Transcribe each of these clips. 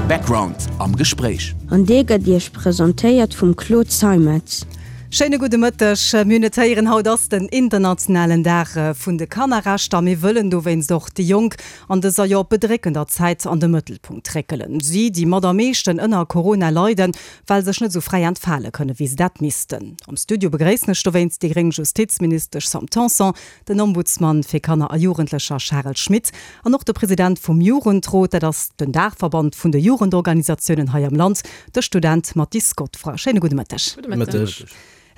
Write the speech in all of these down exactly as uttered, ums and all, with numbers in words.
Background am Gespréich. An dee gëtt Iech presentéiert vum Claude Zeimetz. Schéine gudde Mëtteg. Mir hunn et héieren, haut ass den internationalen Dag vun de Kannerrechter. Mir wëllen dowéinst och déi Jonk an dëser jo bedréckender Zäit an de Mëttelpunkt réckelen. Si, déi mat am meeschten ënner Corona leiden, well sech net esou fräi entfale kënnen, wéi se dat missten. Am Studio begréissen ech dowéinst déi gréng Justizministesch Sam Tanson, den Ombudsman fir Kanner a Jugendlecher Charel Schmit an och de President vum Jugendrot, dat ass den Daachverband vun de Jugendorganisatiounen hei am Land, de Student Mathis Godefroid. Schéine gudde Mëtteg. Gudde Mëtteg.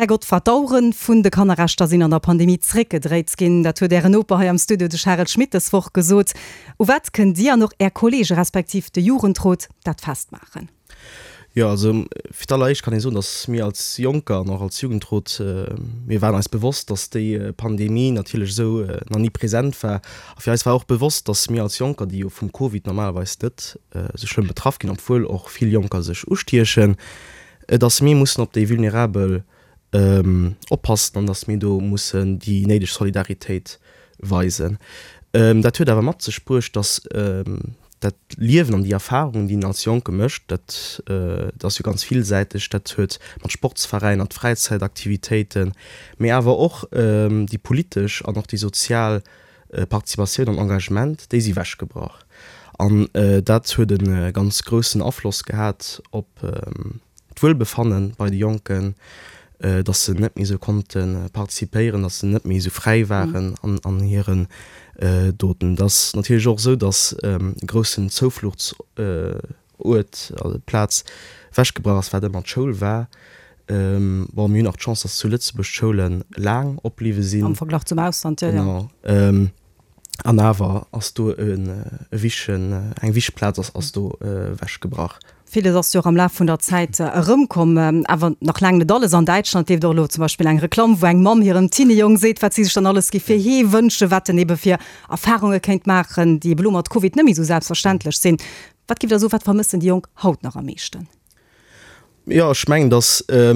Här Godefroid, d'Auere vun de Kannerrechter sinn an der Pandemie zréckgedréit ginn. Dat huet Ären Noper hei am Studio, de Charel Schmit, dës Woch gesot. U wat kënnt Dir an och Är Kolleege respektiv de Jugendrot dat festmaachen? Jo, also fir d'alleréischt kann ee soen, datt mir als Jonker an och als Jugendrot, mir waren eis bewosst, datt déi Pandemie natierlech esou nach ni present war. A fir eis war och bewosst, datt mir als Jonker, déi jo vum Covid normalerweis net esou schlëmm betraff ginn, obwuel och vill Jonker sech ustiechen, datt mir mussen op déi Vulnerabel oppassen an datt mir do mussen déi néideg Solidaritéit weisen. Dat huet awer mat sech bruecht, datt dat Liewen an déi Erfarungen, déi een als Jonke mécht, dat ass jo ganz villsäiteg, dat huet mat Sportsveräiner, Fräizäitaktivitéiten, mee awer och déi politesch an och déi sozial Participatioun an Engagement, déi si wechgebrach. An dat huet e ganz groussen Afloss gehat op d'Wuelbefanne bei de Jonken, dass se net méi esou konnte participéieren, dass se net méi esou fräi waren an hiren Doten. Et ass natierlech och esou, dass e groussen Zoufluchtsuert, also Plaz, ewechgebrach ass, wat ëmmer d'Schoul war. Bon, mir hunn och d'Chance, dass zu Lëtzebuerg d'Schoule laang opbliwwe sinn. Am Verglach zum Ausland, jo, jo. Genau. An awer ass do e wichtegen, eng wichteg Plaz ass do ewechgebrach. Villes ass jo och am Laf vun der Zäit erëmkomm, awer nach laang net alles. An Däitschland leeft och elo zum Beispill eng Reklamm, wou eng Mamm hirem Teenie-Jong seet, wat si sech dann alles géif fir hee wënschen, wat en ebe fir Erfarunge kéint maachen, déi ebe lo mat Covid net méi esou selbstverständlech sinn. Wat giff Der soen, wat vermëssen déi Jonk haut nach am meeschten? Jo, ech mengen, datt e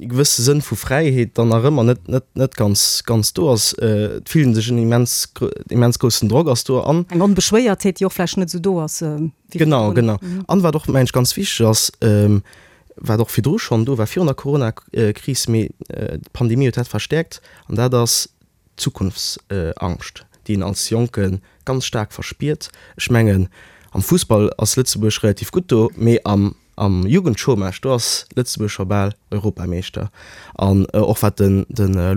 gewësse Sënn vu Fräiheet dann nach ëmmer net, net, net ganz, ganz do ass. Et fillt ee sech en immens, immens groussen Drock ass do an. Eng Onbeschwéiertheet, déi och vläicht net esou do ass wéi virdrun. Genau, genau. An wat och, mengen ech, ganz wichteg ass, wat och virdru schonn do war, virun der Corona-Kris, mee d'Pandemie huet dat verstäerkt, an dat ass d'Zukunftsangscht, déi een als Jonke ganz staark verspiert. Ech mengen, am Fussball ass Lëtzebuerg relativ gutt do, mee am Am Jugendchômage, do ass Lëtzebuerg scho bal Europameeschter. An och wat de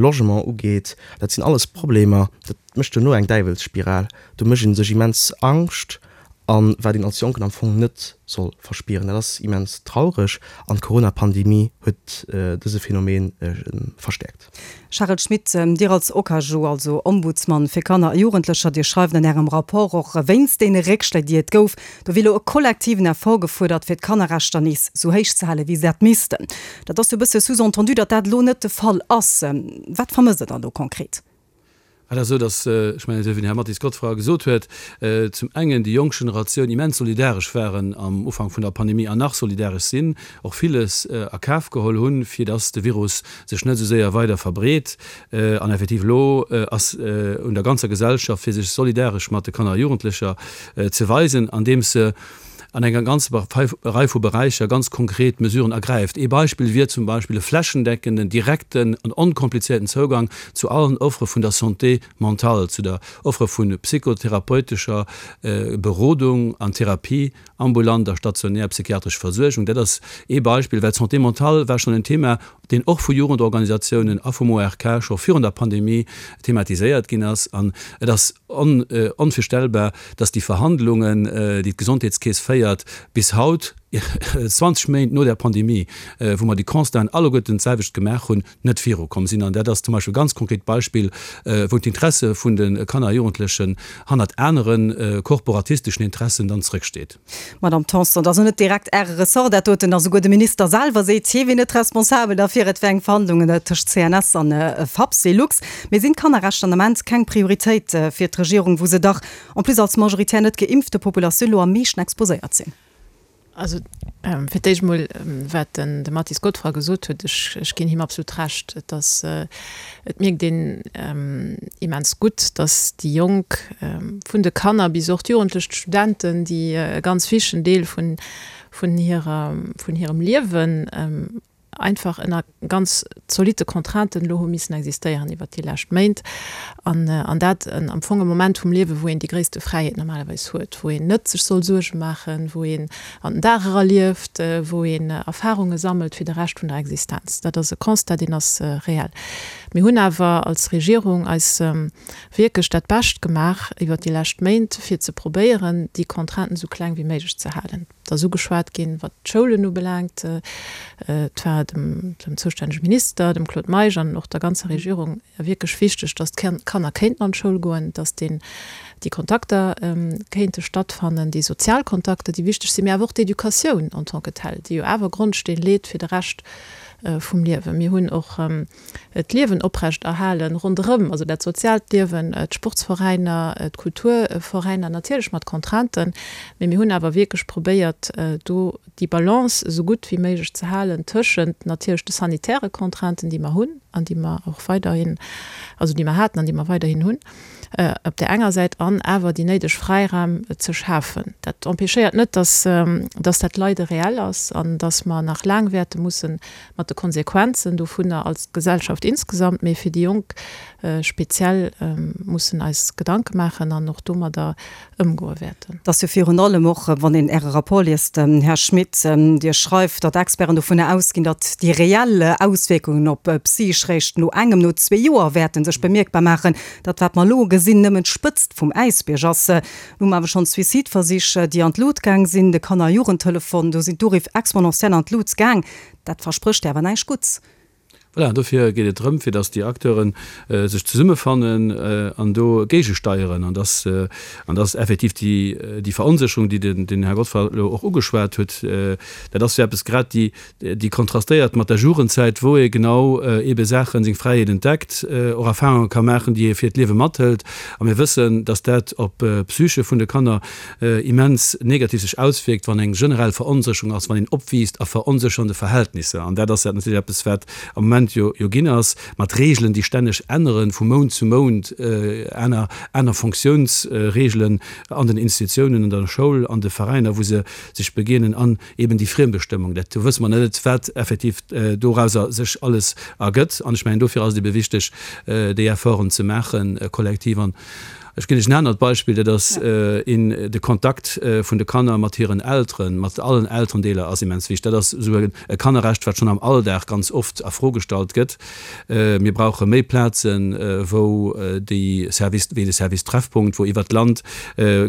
Logement ugeet, dat sinn alles Problemer, dat mécht duerno eng Däiwelsspiral. Do mécht ee sech immens Angscht an wat een als Jonken am Fong net soll verspieren. Dat ass immens traureg an d'Corona-Pandemie huet dëse Phänomen verstäerkt. Charel Schmit, Dir als OKaJu, also Ombudsman fir Kanner a Jugendlecher, Dir schreift an Ärem Rapport och, wéinst deene Réckschléi, déi et gouf, do wier elo e kollektiven Effort gefuerdert, fir d'Kannerrechter nees esou héich ze halen, wéi se dat missten. Dat ass jo e bësse sous-entendu, datt dat elo net de Fall ass. Wat vermësst Der dann do konkret? Et ass esou, datt, ech mengen, esou wéi den Här Mathis Godefroid gesot huet, zum engen déi jonk Generatioun immens solidaresch waren am Ufank vun der Pandemie an nach solidaresch sinn, och villes a Kaf geholl hunn, fir datt de Virus sech net esou séier weider verbreet. An effektiv elo ass un der ganzer Gesellschaft, fir sech solidaresch mat de Kanner a Jugendlecher ze weisen, andeems se an enger ganzer Rei vu Beräicher ganz konkret Mesuren ergräift. Ee Beispill wier zum Beispill e flächendeckenden, direkten an onkomplizierten Zougang zu allen Offere vun der Santé mentale, zu der Offere vu psychotherapeutescher Berodung an Therapie, ambulant a stationär psychiatresch Versuergung. Dat ass ee Beispill, well d'Santé mentale war schonn en Thema, deen och vu Jugendorganisatiounen a vum O R K scho virun der Pandemie thematiséiert ginn ass. An et ass onvirstellbar, dass déi Verhandlungen, déi d'Gesondheetskeess féiert, bis haut, zwanzeg Méint no der Pandemie, wou mer déi Constaten alleguerten d'selwecht gemaach hunn, net virukomm sinn. An dat ass zum Beispill e ganz konkret Beispill, wou d'Interesse vun de Kanner a Jugendlechen hannert anere korporatisteschen Interessen dann zrëcksteet. Madame Tanson, et ass elo net direkt Äre Ressort dat doten, a souguer de Minister selwer seet, hie wier net responsabel derfir, et wär eng Verhandlungen tëscht C N S an Fapsylux. Mee sinn d'Kannerrechter an Ament keng Prioritéit fir d'Regierung, wou se dach en plus als majoritär net geimpfte Populatioun elo am meeschten exposéiert sinn? Also fir d'éischt emol, wat den de Mathis Godefroid gesot huet, ech ech ginn him absolut Recht. Et ass, et mierkt een immens gutt, datt déi Jonk, vun de Kanner bis och d'Jugendlech, d'Studenten, déi e ganz wichtegen Deel vun vun hirer vun hirem Liewen einfach ënner ganz zolitte Contrainten elo hu missen existéieren iwwert déi lescht Méint, an an dat am Fong e Moment vum Liewe wou een déi gréisste Fräiheet normalerweis huet, wou een net sech soll Suerge maachen, wou een an den Dag era lieft, wou een Erfarunge sammelt fir de Rescht vun der Existenz. Dat ass e Constat, deen ass reell. Mir hunn awer als Regierung eis wierklech dat Bescht gemaach iwwert déi lescht Méint, fir ze probéieren, déi Contrainten esou kleng wéi méiglech ze halen. Et ass ugeschwat ginn, wat d'Schoulen ubelaangt. Et war dem zoustännege Minister, dem Claude Meisch, an och der ganzer Regierung wierklech wichteg, datt d'Kanner kéinten an d'Schoul goen, datt déi Kontakter kéinte stattfannen, déi sozial Kontakter, déi wichteg sinn, mee awer och d'Educatioun en tant que telle, déi jo awer Grondsteen leet fir de Rescht vum Liewen. Mir hunn och d'Liewen oprecht erhalen ronderëm, also dat soziaalt Liewen, d'Sportsveräiner, d'Kulturveräiner, natierlech mat Contrainten, mee mir hunn awer wierklech probéiert, do déi Balance esou gutt wéi méiglech ze halen tëschent natierlech de sanitäre Contrainten, déi mer hunn an déi mer och weiderhin, also déi mer haten an déi mer weiderhin hunn, op där enger Säit, an awer déi néideg Fräiraum ze schafen. Dat empêchéiert net, dass, dass dat Leide reell ass an dass mer nach laang wäerte musse mat de Konsequenzen dovunner als Gesellschaft insgesamt, mee fir déi Jonk speziell mussen eis Gedanke maachen an och domadder ëmgoe wäerten. Et ass jo virun allem och, wann een Äre Rapport liest, Här Schmit, Dir schreift, datt Experten dovunner ausginn, datt déi reell Auswierkungen op d'Psych réischt no engem, no zwee Joer wäerte sech bemierkbar maachen, datt wat mer elo gesinn nëmmen d'Spëtzt vum Äisbierg ass. Lo hu mer awer schonn Suicideversich, déi an d'Lut gaang sinn, de Kanner a Jugendtelefon, do sinn d'Uriff exponentiell an d'Lut gaang. Dat versprécht awer näischt Gutts. Voilà, dofir geet et drëm, fir datt déi Acteure sech zesummefannen an do géigesteieren an datt, an datt effektiv déi, déi Veronsécherung, déi den, den Här Godfroid elo och ugeschwat huet, dat ass jo eppes grad, déi, déi kontrastéiert mat der Jugendzäit, wou ee genau eebe Saachen, seng Fräiheet entdeckt, och Erfahrunge ka maachen, déi ee fir d'Liewe mathëlt. A mir wëssen, datt dat op d'Psyche vun de Kanner immens negativ sech auswierkt, wann eng generell Veronsécherung ass, wann een opwiisst a veronséchernde Verhältnisser. An dat ass natierlech eppes, wat am Moment jo jo ginn ass, mat Regeln, déi stänneg änneren, vu Mount zu Mount, aner aner Fonctiounsregelen an den Institutiounen, an der Schoul, an de Veräiner, wou se sech begéinen, an eben déi Friembestëmmung. Dat, do wësse mer net, wat effektiv dorauser sech alles ergëtt. An ech mengen, dofir ass et ebe wichteg, déi Efforten ze maachen, kollektiv. An ech ginn lech en anert Beispill, dat ass een, de Kontakt vun de Kanner mat hiren Elteren, mat allen Elterendeeler ass immens wichteg. Dat ass esou e Kannerrecht, wat schonn am Alldag ganz oft a Fro gestallt gëtt. Mir brauche méi Plazen, wou déi Service, wéi de Service Treffpunkt, wou iwwert d'Land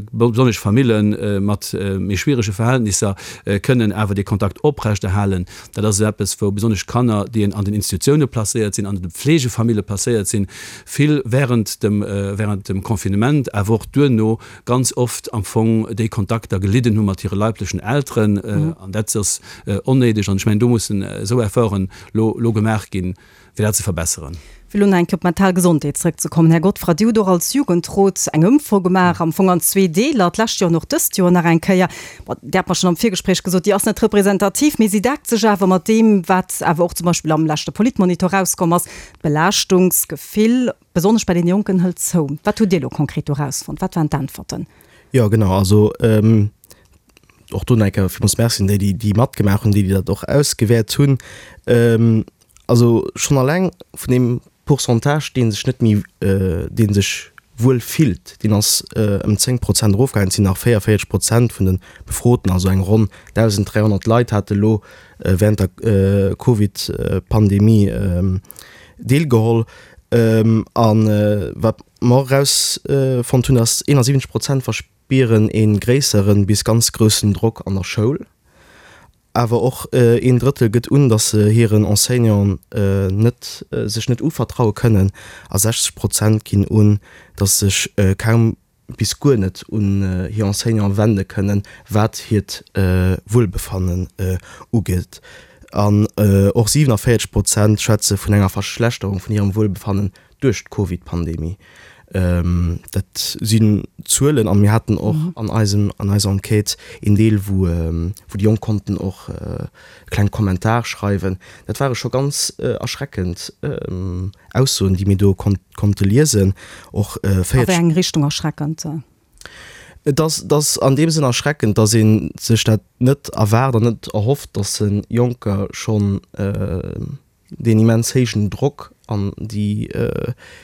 besonnesch Famille mat méi schwierege Verhältnisser kënnen awer dee Kontakt oprechterhalen. Dat ass esou eppes, wou besonnesch Kanner, déi an den Institutioune placéiert sinn, an de Pflegefamille placéiert sinn, vill während dem, während dem Confinement, awer och duerno ganz oft am Fong déi Kontakter gelidden hu mat hire leiblechen Elteren. An dat ass onnéideg. An ech mengen, do mussen esou Efforten lo, lo gemaach ginn, fir dat ze verbesseren. Fir elo nach eng Kéier op d'mental Gesondheet zrëckzekommen, Här Godfrey, Dir hutt och als Jugendrot eng Ëmfro gemaach, am Fong an zwee Deeler, d'lescht Joer an och dëst Joer nach eng Kéier. Bon, Dir hat mer schonn am Virgespréich gesot, déi ass net representativ, mee si deckt sech awer mat deem, wat awer och zum Beispill am leschte Politmonitor erauskomm ass, D'Belaaschtungsgefill, besonnesch bei den Jonken, hëlt zou. Wat hutt Dir elo konkret do erausfonnt? Wat waren d'Äntwerten? Jo, genau. Also och do nach eng Kéier villmools Merci un déi, déi déi matgemaach hunn, déi, déi dat och ausgewäert hunn. Also schonn alleng vun deem Pourcentage, dee sech net méi, dee sech wuel fillt, deen ass ëm zéng Prozent erofgaangen. Et sinn nach véierundvéierzeg Prozent vun de Befroten, also eng ronn dausend dräihonnert Leit hate lo wärend der Covid-Pandemie deelgeholl. A wat mer erausfonnt hunn, ass, eenansiwwenzeg Prozent verspieren ee gréisseren bis ganz groussen Drock an der Schoul. Awer och een Drëttel gëtt un, datt se hiren Enseignanten net sech net uvertraue kënnen a sechzeg Prozent ginn un, datt se sech kaum bis guer net un hir Enseignante wende kënnen, wat hiert Wuelbefannen ugeet. An och siwenavéierzeg Prozent schwätze vun enger Verschlechterung vun hirem Wuelbefannen duerch d'Covid-Pandemie. Dat sinn Zuelen a mir haten och an eisem, an eiser Enquête een Deel, wou, wou déi Jonk konnten och e kleng Kommentar schreiwen. Dat ware scho ganz erschreckend Aussoen, déi mir do konnte liesen. Och A wéi eng Richtung erschreckend? Et ass, et ass an deem Sënn erschreckend, datt ee sech dat net erwaart an net erhofft, datt Jonker schonn deen immens héijen Drock an déi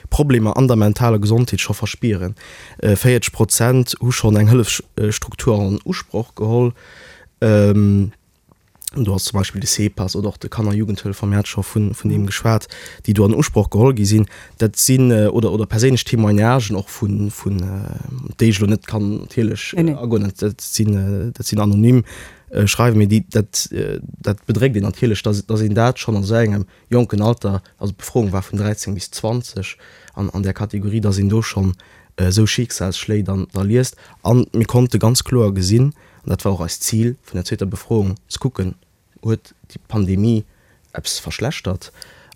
Problemer an der mentaler Gesondheet scho verspieren. Véierzeg Prozent hu schonn eng Hëllefsstruktur an Usproch geholl. Do ass zum Beispill de CEPAS oder och de Kanner Jugendhëllef, mir hate scho vun deem geschwat, déi do an Usproch geholl gi sinn. Dat sinn, oder oder perséinlech Témoignagen och vun, vun, déi ech elo net kann natierlech agoen, dat sinn, dat sinn anonym Schreiwen, mee déi, dat, dat bedréckt een natierlech, dass, dass een dat schonn an esou engem jonken Alter, also d'Befroung war vun dräizéng bis zwanzeg an, an där Kategorie, dass een do schonn esou Schicksalsschléi dann da liest. An mir konnte ganz kloer gesinn, an dat war och eist Zil vun der zweeter Befroung, ze kucken, huet déi Pandemie eppes verschlechtert?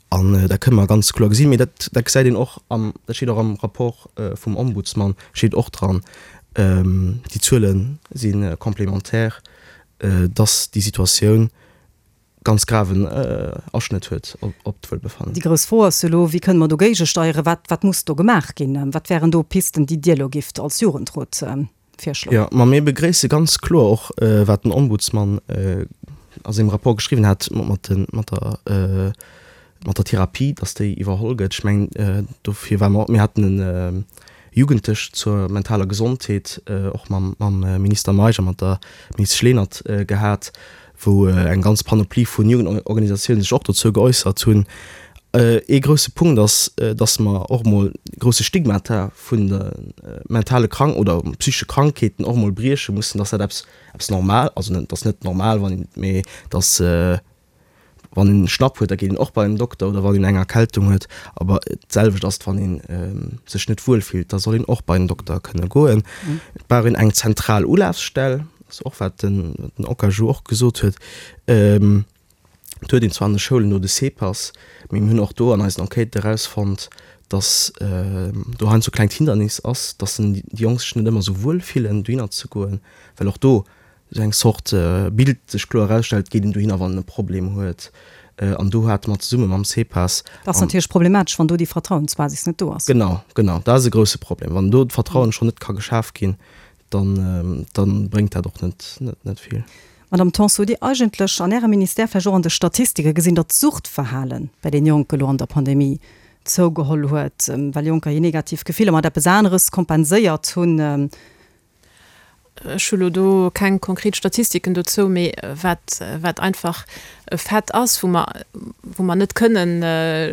An dat kënne mer ganz kloer gesinn, mee dat, dat gesäit een och am, dat steet och am Rapport vum Ombudsman, steet och dran, déi Zuele si complémentaire, dass déi Situatioun ganz graven Aschnëtt huet op d'Wuelbefannen. Déi grouss Fro ass jo elo, Wéi kënne mer dogéige steieren? Wat, wat muss do gemaach ginn? Wat wären do Pisten, déi Dir elo gifft als Jugendrot virschloen? Jo, ma mir begréisse ganz kloer och, wat den Ombudsman a sengem Rapport geschriwwen hat mat de, mat der, mat der Therapie, dass déi iwwerholl gëtt. Ech mengen, dofir ware mer, mir haten e Jugendtësch zur mentaler Gesondheet och mam, mam Minister Meisch a mat der Ministesch Lenert gehat, wou eng ganz Panoplie vun Jugendorganisatiounen sech och dozou geäussert hunn. Ee grousse Punkt ass, dass mer och emol grousse Stigmata vun de mentale Krank oder psychesche Krankheeten och emol brieche mussen, dass dat eppes, eppes normal, also et ass net normal, wann een, mee dass, wann een e Schnapp huet, da geet een och bei en Dokter oder wann een eng Erkältung huet. Awer d'selwecht ass et, wann ee sech net wuel fillt, da soll een och bei en Dokter kënne goen. Et brauch een eng zentral Ulafsstell, ass och wat den Okaju och gesot huet. Et huet een zwar an de Schoulen do de CEPAS, mee mir hunn och do an eisen Enquêten erausfonnt, datt do heiansdo e klengt Hindernis ass, datt déi Jonk sech net ëmmer esou wuel fillen, dohinner ze goen, well och do esou eng Zort Bild sech kloer erausstellt, geet een dohinner, wann en e Problem huet. An do hate mer zesumme mam CEPAS. Dat ass natierlech problematesch, wann do déi Vertrauensbasis net do ass. Genau, genau, dat ass e grousse Problem. Wann do d'Vertrauen schonn net ka geschaf ginn, dann, dann bréngt dat och net, net vill. Madame Tanson, hutt Dir eigentlech an Ärem Ministère vläicht och an de Statistike gesinn, datt d'Suchtverhale bei den Jonke lo an der Pandemie zougeholl huet, well Jonker hir negativ Gefiller mat eppes aneres kompenséiert hunn? Ech hu lo do keng konkret Statistiken dozou, mee wat, wat einfach e Fait ass, wou mer, wou mer net kënnen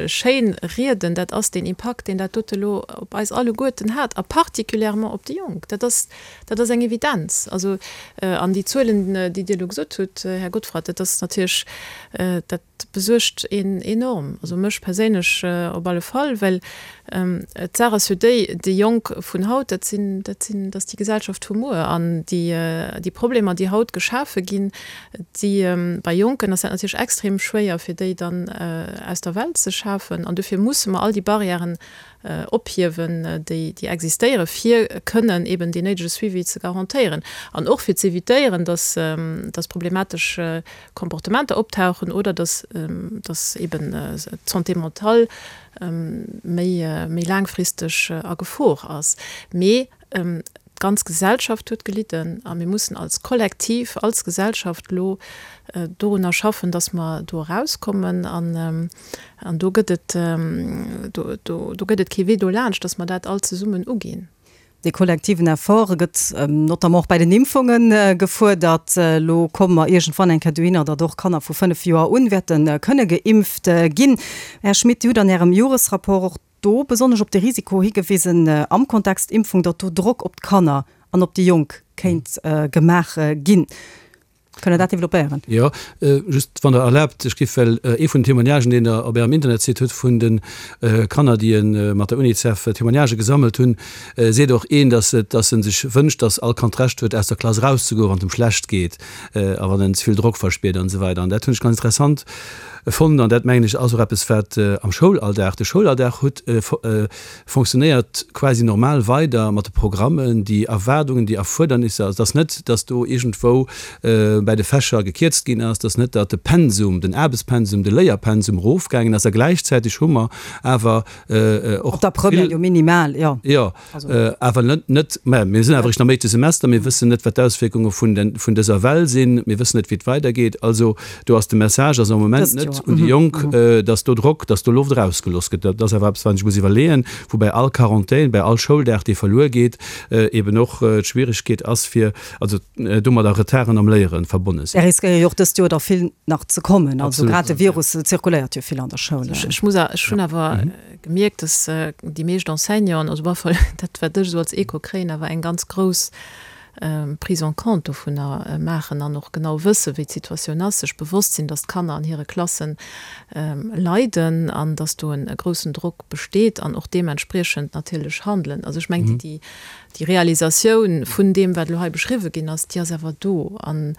schéin rieden, dat ass deen Impakt, deen dat dote lo op eis alleguerten hat a particulièrement op déi Jonk. Dat ass, dat ass eng Evidenz. Also, an déi Zuelen, déi Dir elo gesot hutt, Här Godfrey, dat ass natierlech, dat besuergt een enorm, also mech perséinlech op alle Fall, well d'Saach ass jo déi, déi Jonk vun haut, dat sinn, dat sinn, dat ass déi Gesellschaft vu muer an déi, déi Problemer, déi haut geschafe ginn, déi bei Jonken ass dat natierlech extrem schwéier, fir déi dann aus der Welt ze schafen an dofir musse mer all déi Barrièren ophiewen, déi, déi existéieren, fir kënnen eben deen néidege Suivi ze garantéieren an och fir z'évitéieren, dass, dass problematesch Comportementer optauchen oder dass, dass eben d'Santé mentale méi, méi laangfristeg a Gefor ass. Mee d'ganz Gesellschaft huet gelidden a mir mussen als Kollektiv, als Gesellschaft elo dorunner schaffen, dass mer do erauskommen. An, an do gëtt et, do, do, do gëtt et kee Wee dolaanscht, dass mer dat all zesummen uginn. Dee kollektiven Effort gëtt notamment och bei den Impfunge gefuerdert. Elo komme mer iergendwann eng Kéier dohinner, datt och Kanner vu fënnef Joer un wäerte kënne geimpft ginn. Här Schmit, Dir hutt an Ärem Joresrapport och do besonnesch op de Risiko higewisen am Kontext Impfung, datt do Drock op d'Kanner an op déi Jonk kéint gemaach ginn. Kënnt Der dat developpéieren? Jo, just wann Der erlaabt, ech géif well ee vun den Témoignagen, deen Der op Ärem Internetsite hutt, vun de Kanner, déi mat der Unicef Témoignagë gesammelt hunn, seet och een, dass et, dass e sech wënscht, dass all Kand d'Recht huet, aus der Klass erauszegoen, wann et em schlecht geet a wann en ze vill Drock verspiert an esou weider. An dat hunn ech ganz interessant fonnt an dat, mengen ech, ass och eppes, wat am Schoulalldag, de Schoulalldag huet fonctionnéiert quasi normal weider mat de Programmen, déi Erwaardungen, déi Erfuerdernisser. Also et ass net, dass do iergendwou bäi de Fächer gekierzt ginn ass, et ass net, datt de Pensum, den Aarbechtspensum, de Léierpensum erofgaangen ass. A gläichzäiteg hu mer awer och Op der Première jo minimal, jo. Jo, awer net, net, mä mir sinn awer eréischt am éischte Semester, mir wëssen net, wat d'Auswierkunge vun den, vun dëser Well sinn, mir wëssen net, wéi et weidergeet. Also do ass de Message ass am Moment net un déi Jonk, dass do Drock, dass do Loft erausgelooss gëtt. Dat ass awer eppes, wat een sech muss iwwerleeën, wou bei all Quarantän, bei all Schouldag, dee verluer geet, eben och d'Schwieregkeet ass, fir, also domadder Retarden am Léiere verbonne sinn. Där riskéiere jo och dëst Joer der vill nach ze kommen. Also grad de Virus zirkuléiert jo vill an der Schoul. Ech muss, ech hunn awer gemierkt, dass déi meescht Enseignanten, also op alle Fall dat, wat ech esou als Echo kréien, awer eng ganz grouss Prise en compte dovunner maachen an och genau wëssen, wéi d'Situatioun ass, sech bewosst sinn, dass d'Kanner an hire Klassen leiden an dass do e groussen Drock besteet an och deementspriechend natierlech handelen. Also ech mengen, déi, déi Realisatioun vun deem, wat elo hei beschriwwen ginn ass, déi ass awer do. An,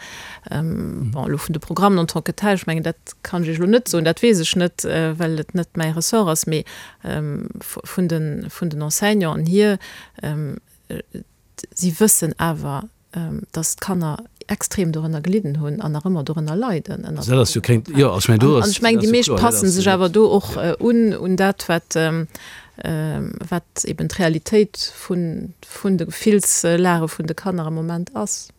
bon, elo vun de Programmen en tant que tel, ech mengen, dat kann ech Iech elo net soen, dat weess ech net, well et net mäi Ressort ass, mee vun den, vun den Enseignanten hier, si wëssen awer, dass d'Kanner extrem dorënner gelidden hunn an nach ëmmer dorënner leiden. An ech mengen, déi meescht passen sech awer do och un, un dat, wat, wat eben d'Realitéit vun, vun de Gefillslage vun de Kanner am Moment ass.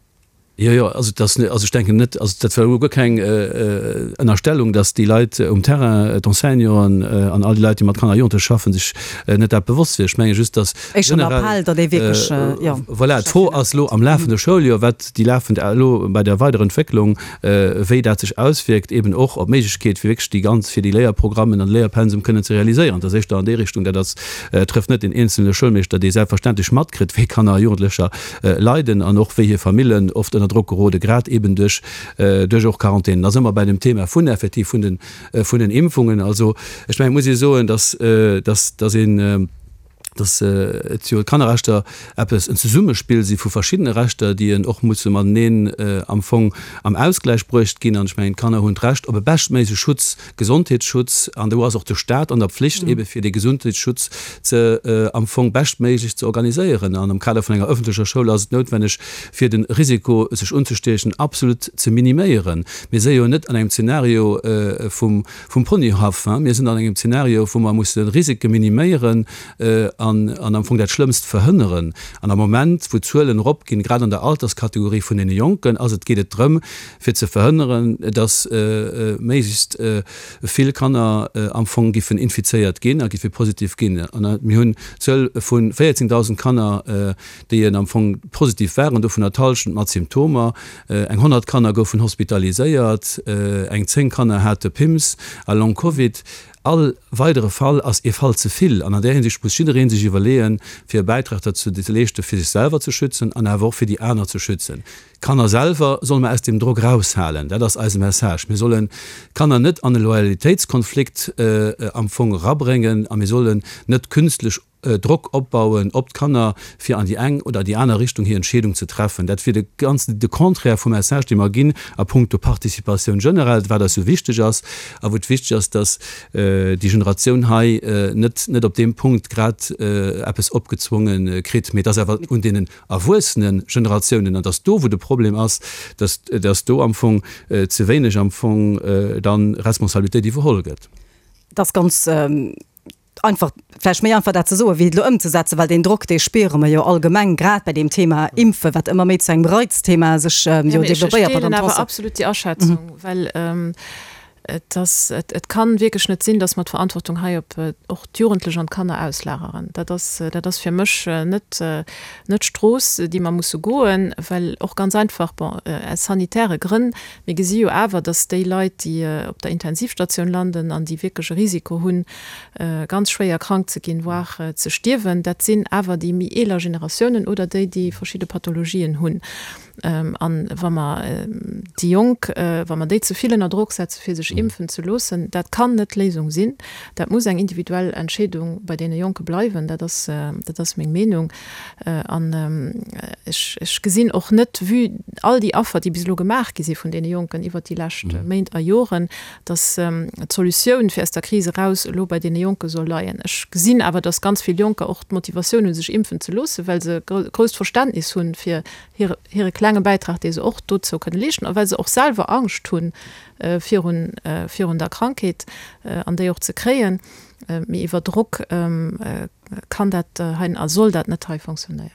Jo, jo, also et ass, also ech denken net, also dat war elo guer keng Ënnerstellung, datt déi Leit um Terrain, d'Enseignanten an all déi Leit, déi mat Kanner a Jugendleche schaffen, sech net dat bewosst wier. Ech menge just, datt generell, voilà, d'Fro ass elo am lafende Schouljoer, wat déi lafend elo bei der weiderer Entwécklung, wéi dat sech auswierkt eben och op d'Méiglechkeet, fir wierklech déi ganz, fir déi Léierprogrammen an de Léierpensum kënnen ze realiséieren. Dat ass éischter an déi Richtung. Dat ass, trëfft net den eenzelne Schoulmeeschter, dee selbstverständlech matkritt, wéi Kanner a Jugendlecher leiden an och wéi hir Famillen oft ënner Drock gerode, grad eben duerch, duerch och Quarantänen. Da si mer bei dem Thema vun effektiv vun den, vun den Impfungen. Also ech mengen, et muss ee soen, dass, dass, dass een, dass et jo d'Kannerrechter eppes, en Zesummespill si vu verschiddene Rechter, déi en och musse mateneen am Fong am Ausgläich bruecht ginn. An ech mengen, d'Kanner hunn d'Recht op e beschtméigleche Schutz, Gesondheetsschutz, an do ass och de Stat an der Pflicht ebe fir dee Gesundheetsschutz ze am Fong beschtméiglech ze organiséieren. An am Kader vun enger öffentlecher Schoul ass et noutwenneg, fir de Risiko sech unzestiechen absolut ze miniméieren. Mir si jo net an engem Zeenario vum vum Ponyhaff, hein, mir sinn an engem Zeenario, wou mer musse Risike miniméieren an an am Fong dat Schlëmmst verhënneren. An am Moment, wou d'Zuelen eropginn, grad an der Alterskategorie vun deene Jonken, ass et geet et drëm, fir ze verhënneren, dass méiglechst vill Kanner am Fong giffen infizéiert ginn a giffe positiv ginn. An mir hunn d'Zuel vu véierzéngdausend Kanner, déi am Fong positiv waren, dovunner d'Hallschent mat Symptomer. Eng honnert Kanner goufen hospitaliséiert, eng zéng Kanner hate Pims a Long Covid. All weidere Fall ass ee Fall ze vill an an där Hinsicht muss jidderee sech iwwerleeën, fir e Bäitrag derzou ze leeschten, fir sech selwer ze schützen an awer och fir déi aner ze schützen. D'Kanner selwer solle mer aus deem Drock eraushalen, dat ass eise Message. Mir sollen d'Kanner net an e Loyalitéitskonflikt am Fong erabréngen a mir sollen net künstlech Drock opbauen op d'Kanner, fir an déi eng oder déi aner Richtung hir Entscheedung ze treffen. Dat wier de ganzen, de Contraire vum Message, dee mer ginn a puncto Participatioun generell, wat eis esou wichteg ass a wou et wichteg ass, dass déi Generatioun hei net, net op deem Punkt grad eppes opgezwonge kritt. Mee et ass awer un deenen erwuessene Generatiounen, an et ass do, wou de Problem ass, dass, dass do am Fong ze wéineg am Fong dann Responsabilitéit iwwerholl gëtt. Et ass ganz einfach, vläicht méi einfach dat ze soen, wéi et elo ëmzesetzen, well deen Drock, dee spiere mer jo allgemeng, grad bei deem Thema Impfen, wat ëmmer méi zu engem Reizthema sech jo developpéiert. Ech deelen awer absolut déi Aschätzung, well Et ass, et, et kann wierklech net sinn, dass mer d'Verantwortung hei op och d'Jugendlech an d'Kanner auslageren. Dat ass, dat ass fir mech net, net d'Strooss, déi mer musse goen, well och ganz einfach, bon, aus sanitäre Grënn, mir gesi jo awer, dass déi Leit, déi op der Intensivstatioun landen an déi wierklech e Risiko hunn, ganz schwéier krank ze ginn, voire ze stierwen, dat sinn awer déi méi eeler Generatiounen oder déi, déi verschidde Pathologien hunn. An wa mer déi Jonk, wa mer déi ze vill ënner Drock setze fir sech impfen ze loossen, dat kann net d'Léisung sinn. Dat muss eng individuell Entscheedung bei deene Jonke bleiwen. Dat ass, dat ass meng Meenung. An ech, ech gesinn och net, vue all déi Affer, déi bis elo gemaach gi si vun deene Jonken iwwert déi lescht Méint a Joren, datt d'Solutioun fir aus der Kris eraus elo bei deene Jonke soll leien. Ech gesinn awer, datt ganz vill Jonker och d'Motivatioun hunn, sech impfen ze loossen, well se grousst Verständnis hunn fir hire, hire klenge Bäitrag, dee se och dozou kënne leeschten, a well se och selwer Angscht hu virun, virun der Krankheet an déi och ze kréien. Mee iwwer Drock kann dat hei a soll dat net hei fonctionnéieren.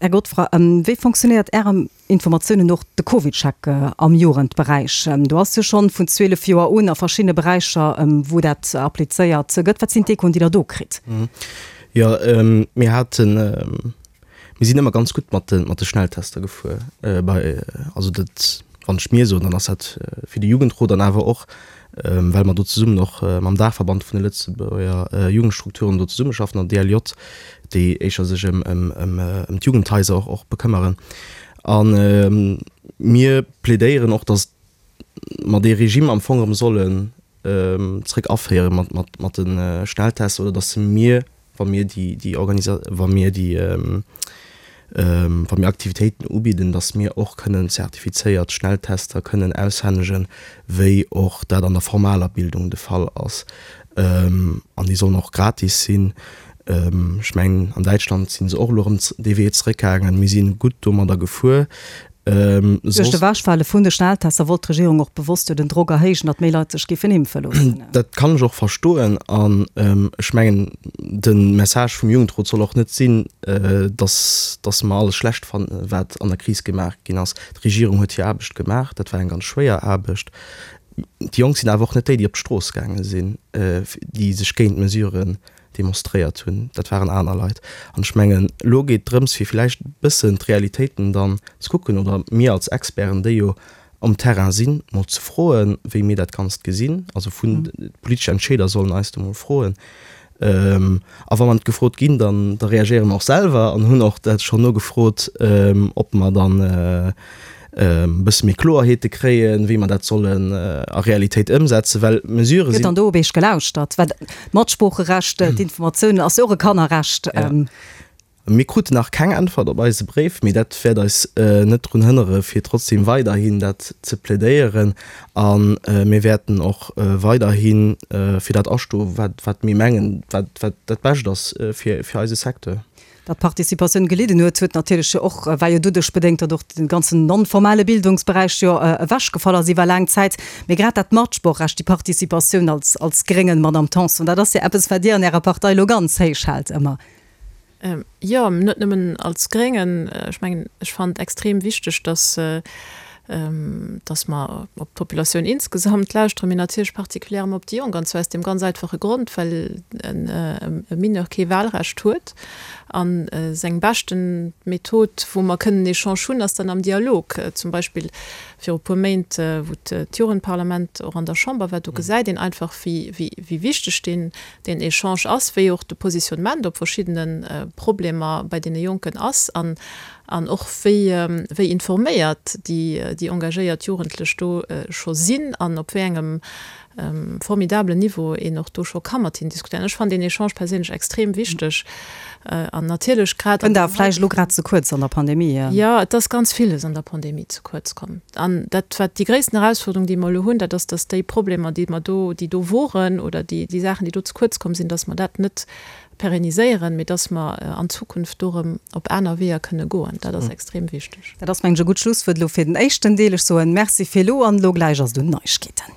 Här Godfroy, wéi fonctionnéiert Ärer Informatiounen no de CovidCheck am Jugendberäich? Do ass jo schonn vun zwielef Joer un a verschiddene Beräicher, wou dat applizéiert gëtt. Wat sinn d'Echoen, déi Der do kritt? Jo, mir haten, mir sinn ëmmer ganz gutt mat de, mat de Schnelltester gefuer bei, also dat, wann ech mir soen, dann ass dat fir de Jugendrot an awer och, well mer do zesummen och mam Daachverband vun de Lëtzebuerger Jugendstrukturen do zesummeschaffen, der D L J, déi éischer sech ëm, ëm, ëm, ëm d'Jugendhaiser och, och bekëmmeren. A mir plädéieren och, datt mer dee Regime am Fong erëm sollen zréck aféiere mat, mat, mat de Schnelltests oder datt mir, wa mir déi, déi Organisa-, wa mir déi, wa mir Aktivitéiten ubidden, datt mir och kënnen zertifizéiert Schnelltester kënnen aushännegen, wéi och dat an der formaler Bildung de Fall ass. An déi sollen och gratis sinn. Ech mengen, an Däitschland si se och elo erëm dee Wee zeréckgaangen. Mir si gutt domadder gefuer. Duerch d'Ewechfale vun de Schnelltester wollt d'Regierung och bewosst jo den Drock erhéijen, datt méi Leit sech géifen impfe loossen. Dat kann ech och verstoen. An ech mengen, de Message vum Jugendrot soll och net sinn, datt, datt mer alles schlecht fannen, wat an der Kris gemaach ginn ass. D'Regierung huet hir Aarbecht gemaach. Dat war eng ganz schwéier Aarbecht. Déi Jonk sinn awer och net déi, déi op d'Strooss gaange sinn, déi sech géint d'Mesuren demonstréiert hunn, dat waren aner Leit. An ech mengen, elo geet et drëms, fir vläicht e bëssen d'Realitéiten dann ze kucken oder mir als Experten, déi jo um Terrain sinn, mol ze froen, wéi mir dat Ganzt gesinn. Also vun d'politesch Entscheeder sollen eis do mol froen. A wa mer net gefrot ginn, dann da reagéiere mer och selwer an hunn och dat schonn nogefrot, ob mer dann e bësse méi Kloerheete kréien, wéi mer dat sollen a Realitéit ëmsetzen, well Mesurë sinn. Gëtt dann do op Iech gelauschtert? Well d'Matsproocherecht, d'Informatiounen ass jo och e Kannerrecht. Mir kruten nach keng Äntwert op eise Bréif, mee dat wäert eis net drun hënnere fir trotzdem weiderhin dat ze plädéieren. A mir wäerten och weiderhi fir dat astoen, wat, wat mir mengen, wat, wat dat Bescht ass fir, fir eise Secteur. Datt d'Participatioun gelidden huet, huet natierlech jo och, war jo doduerch bedéngt, datt och de ganzen non-formale Bildungsberäich jo ewechgefall ass iwwer laang Zäit. Mee grad dat Matsproochrecht, déi Participatioun als, als Gréngen, Madamm Tanson, dat ass jo eppes, wat Dir an Ärer Partei elo ganz héich haalt ëmmer. Jo, net nëmmen als Gréngen. Ech mengen, ech fannen et extrem wichteg, datt, datt mer op d'Populatioun insgesamt lauschteren, mee natierlech particulièrement op déi Jonk, an zwar aus deem ganz einfache Grond, well e Mineur kee Wahlrecht huet a seng beschten Method, wou mer kënnen Echange hunn, ass dann am Dialog. Zum Beispill viru puer Méint, wou d'Jugendparlament och an der Chamber war, do gesäit een einfach, wéi wichteg deen Echange ass, wéi och de Positionnement op verschiddene Problemer bei deene Jonken ass. An och wéi wéi informéiert déi déi engagéiert Jugendlech do scho sinn an op wéi engem formidabelen Niveau een och do scho ka mat hinnen diskutéieren. Ech fannen deen Echange perséinlech extrem wichteg an natierlech grad. Kënnt awer vläicht elo grad ze kuerz an der Pandemie. Jo, et ass ganz villes an der Pandemie ze kuerz komm. An dat wat déi gréissten Erausfuerderung, déi mer elo hunn, dat ass, datt déi Problemer, déi mer do, déi do woren oder déi déi Saachen, déi do ze kuerz komm sinn, datt mer dat net perenniséieren, mee dass mer an Zukunft do erëm op aner Weeër kënne goen. Dat ass extrem wichteg. Dat ass, mengen ech, e gutt Schlusswuert elo fir den éischten Deel. Ech soen Merci fir elo an elo gläich ass et un Neiegkeeten.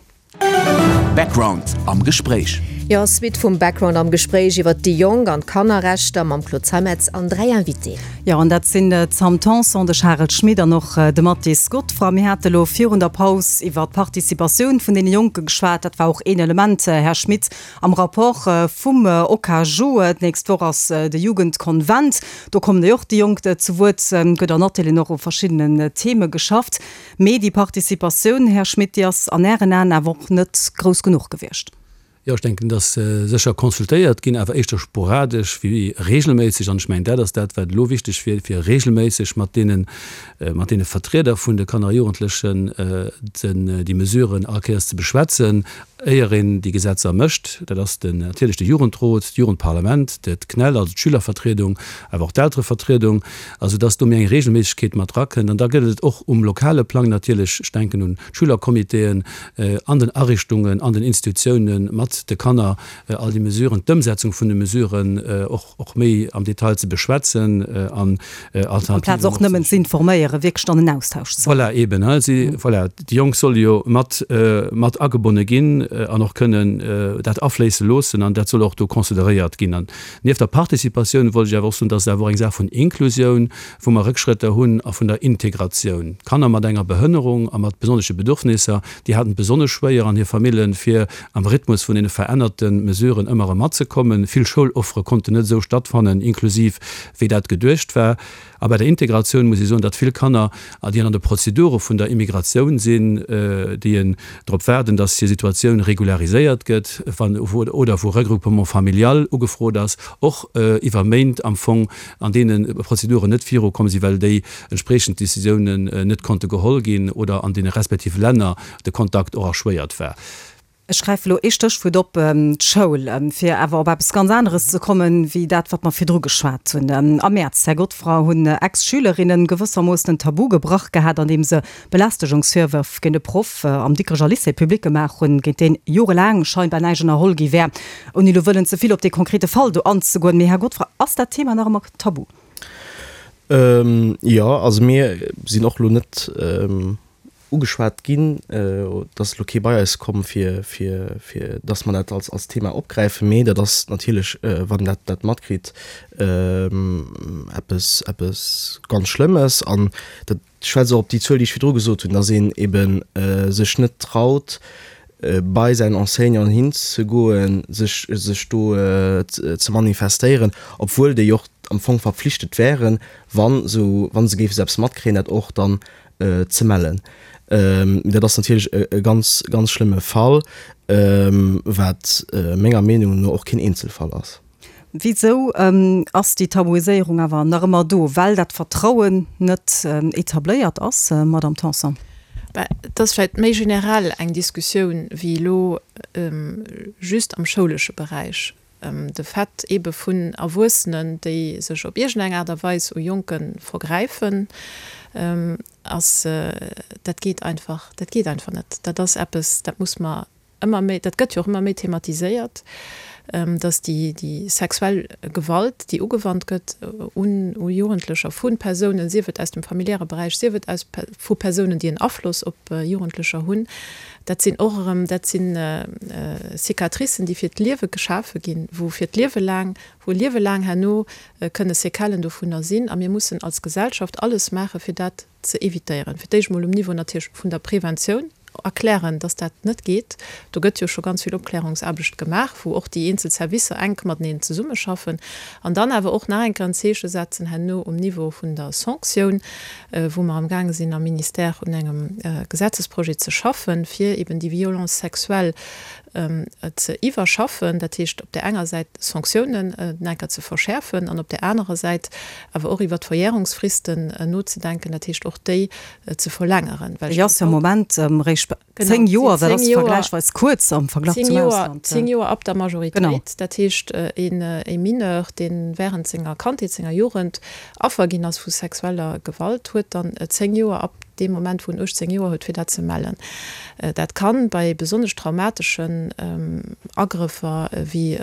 Background am Gespréich. Jo, Suite vum Background am Gespréich iwwert déi Jonk an d'Kannerrechter mam Claude Zeimetz an dräi Invitéen. Jo, an dat sinn d'Sam Tanson, de Charel Schmit an och de Mathis Godefroid. Mir hate lo virun der Paus iwwert d'Participatioun vun deene Jonke geschwat. Dat war och een Element, Här Schmit, am Rapport vum OKaJu. D'nächst Woch ass de Jugendkonvent. Do kommen jo och déi Jonk zu Wuert. Gëtt an Atelieren och u verschiddenen Theme geschafft. Mee déi Participatioun, Här Schmit, déi ass an Ären Aen awer och net grouss genuch gewiescht. Jo, ech denken, dass sécher consultéiert ginn, awer éischter sporadesch wéi regelméisseg. An ech mengen, dat ass dat, wat elo wichteg wier, fir regelméisseg mat deenen, mat deene Vertrieder vun de Kanner a Jugendlechen den, déi Mesuren all Kéiers ze beschwätzen, éier een déi Gesetzer mécht. Dat ass den, natierlech de Jugendrot, d'Jugendparlament, de d'CNEL, also d'Schülervertriedung, awer och d'Elterevertriedung, also dass do méi eng Regelméissegkeet mat erakënnt. An da gëtt et och um lokale Plang natierlech, ech denken un d'Schülercomitéen, an den Ariichtungen, an den Institutiounen mat de Kanner all déi Mesuren, d'Ëmsetzung vun de Mesuren och, och méi am Detail ze beschwätzen an Alternativen. Amplaz och nëmmen ze informéieren, wierklech dann en Austausch ze. Voilà, eben, hein, si, voilà, déi Jonk solle jo mat, mat agebonne ginn an och kënnen dat afléisse loossen an dat soll och do consideréiert ginn. An nieft der Participatioun wollt ech awer och soen, dass et awer och eng Saach vun Inklusioun, wou mer Rëckschrëtter hunn, a vun der Integratioun. Kanner mat enger Behënnerung a mat besonnesche Bedürfnisser, déi haten et besonnesch schwéier an hir Famillen, fir am Rhythmus vun deene verännerte Mesuren ëmmer erëm matzekommen. Vill Schouloffere konnten net esou stattfannen, inklusiv, wéi dat geduecht war. A bei der Integratioun muss ee soen, datt vill Kanner, déi an de Prozedure vun der Immigratioun sinn, déi drop waarden, datt hir Situatioun regulariséiert gëtt, wann oder wou Regroupement familial ugefrot ass, och iwwer Méint am Fong an deene Prozeduren net virukomm sinn, well déi entspriechend Décisiounen net konnte geholl ginn oder an deene respektive Länner de Kontakt och erschwéiert war. Ech gräife elo ee Stéchwuert op, d'Schoul, fir awer op eppes ganz aneres ze kommen, wéi dat, wat mer virdru geschwat hunn. Am Mäerz, Här Godefroid, hunn Ex-Schülerinnen gewëssermoossen en Tabu gebrach gehat, andeem se Belästegungsvirwërf géint e Proff am Dikrecher Lycée public gemaach hunn, géint deen jorelaang scheinbar näischt ënnerholl gi wär. Ouni elo wëllen ze vill op dee konkrete Fall do anzegoen, mee Här Godefroid, ass dat Thema nach ëmmer tabu? Jo, also mir sinn och elo net ugeschwat ginn, et ass elo kee bei eis komm, fir, fir, fir dass mer dat als, als Thema opgräifen, mee dat ass natierlech, wann een dat, dat matkritt, eppes, eppes ganz Schlëmmes. An dat schwätzt och op déi Zuel, déi ech virdru gesot hunn, dass een eebe sech net traut, bei säin Enseignant hinzegoen, sech, sech do ze manifestéieren, obwuel déi och am Fong verpflichtet wären, wa se, wa se géife sou eppes matkréien, dat och dann ze mellen. Dat ass natierlech e ganz, ganz schlëmme Fall, wat menger Meenung no och keen Eenzelfall ass. Wisou ass déi Tabuiséierung awer nach ëmmer do? Well dat Vertrauen net etabléiert ass, Madamm Tanson? Et ass vläicht méi generell eng Diskussioun wéi elo just am schoulesche Beräich. De Fait eebe vun Erwuessenen, déi sech op iergendeng Aart a Weis u Jonke vergräifen, ass, dat geet einfach, dat geet einfach net. Dat ass eppes, dat muss mer ëmmer méi, dat gëtt jo och ëmmer méi thematiséiert, dass déi, déi sexuell Gewalt, déi ugewannt gëtt un u Jugendlecher vu Persounen, sief et aus dem familiäre Beräich, sief et aus vu Persounen, déi en Afloss op Jugendlecher hunn, dat sinn och erëm, dat si Cicatricen, déi fir d'Liewe geschafe ginn, wou fir d'Liewe laang, wou e Liewe laang herno kënne Séquellen dovunner sinn. A mir mussen als Gesellschaft alles maachen, fir dat ze évitéieren. Fir d'éischt emol um Niveau natierlech vun der Preventioun erklären, dass dat net geet. Do gëtt jo scho ganz vill Opklärungsaarbecht gemaach, wou och déi eenzel Servicer enk mateneen zesummeschaffen. An dann awer och nach eng Kéier en Zeeche setzen herno um Niveau vun der Sanktioun, wou mer amgaange sinn am Ministère un engem Gesetzesprojet ze schaffen, fir eben déi Violence sexuelle ze iwwerschaffen, dat heescht op där enger Säit d'Sanktiounen enker ze verschäerfen an op där anerer Säit awer och iwwert d'Verjährungsfristen nozedenken, dat heescht och déi ze verlängeren. Déi ass jo am Moment eréischt zéng Joer, dat ass vergläichsweis kuerz am Verglach zum Ausland. Zéng Joer ab der Majoritéit, dat heescht e Mineur, dee während senger Kandheet, senger Jugend Affer ginn ass vu sexueller Gewalt, huet dann zéng Joer ab deem Moment, wou en uechtzéng Joer huet, fir dat ze mellen. Dat kann bei besonnesch traumateschen Agrëffer wéi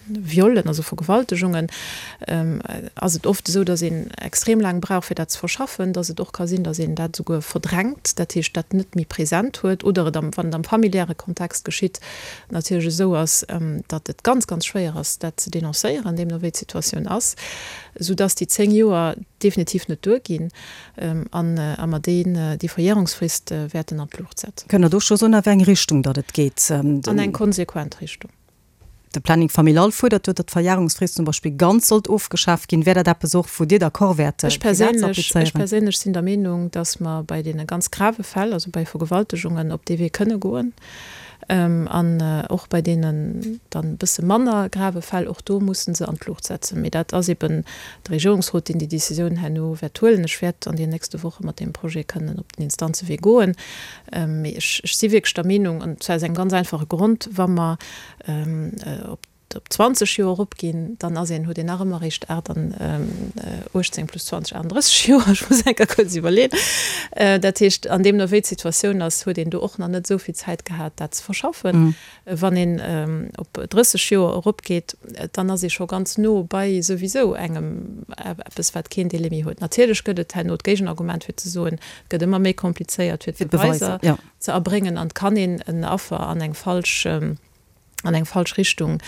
Viollen, also Vergewaltegungen, ass et oft esou, dass een extrem laang brauch, fir dat ze verschaffen, dass et och ka sinn, dass een dat esouguer verdrängt, dat heescht, dat net méi present huet, oder et am, wann et am familiäre Kontext geschitt, natierlech esou ass, datt et ganz, ganz schwéier ass, dat ze denoncéieren, deemno wéi d'Situatioun ass, soudass déi zéng Joer definitiv net duerginn an a mer deen, déi Verjährungsfrist wäerten an d'Luucht setzen. Kënnt Der do scho soen, a wéi eng Richtung datt et geet? An eng konsequent Richtung. De Planning familial fuerdert jo, datt d'Verjährungsfrist zum Beispill ganz sollt ofgeschaaft ginn. Wär dat eppes och, wou Dir d'accord wäert, fir dat ze applizéieren? Ech perséinlech sinn der Meenung, datt mer bei deene ganz grave Fäll, also bei Vergewaltegungen, op dee Wee kënne goen. An och bei deenen dann e bësse manner grave Fäll, och do musse se an d'Luucht setzen. Mee dat ass eben de Regierungsrot, deen déi Décisioun herno wäert huelen. Ech wäert an den nächste Woche mat deem Projet kënnen op den Instanzewee goen. Mee ech si wierklech der Meenung, an zwar aus engem ganz einfache Grond, Wa mer op op zwanzeg Joer eropginn, dann ass een, huet een nach ëmmer eréischt aacht an uechtzéng plus zwanzeg, aachtenddrësseg Joer, ech muss eng Kéier kuerz iwwerleeën. Dat heescht, an deemno wéi d'Situatioun ass, huet een do och nach net esou vill Zäit gehat, dat ze verschaffen. Wann een op drësseg Joer eropgeet, dann ass ee scho ganz no bei souwisou engem eppes, wat keen Délai méi huet. Natierlech gëtt et herno d'Géigenargument fir ze soen, et gëtt ëmmer méi komplizéiert fir d'Beweiser ze erbréngen an et kann een en Affer an eng falsch, an eng falsch Richtung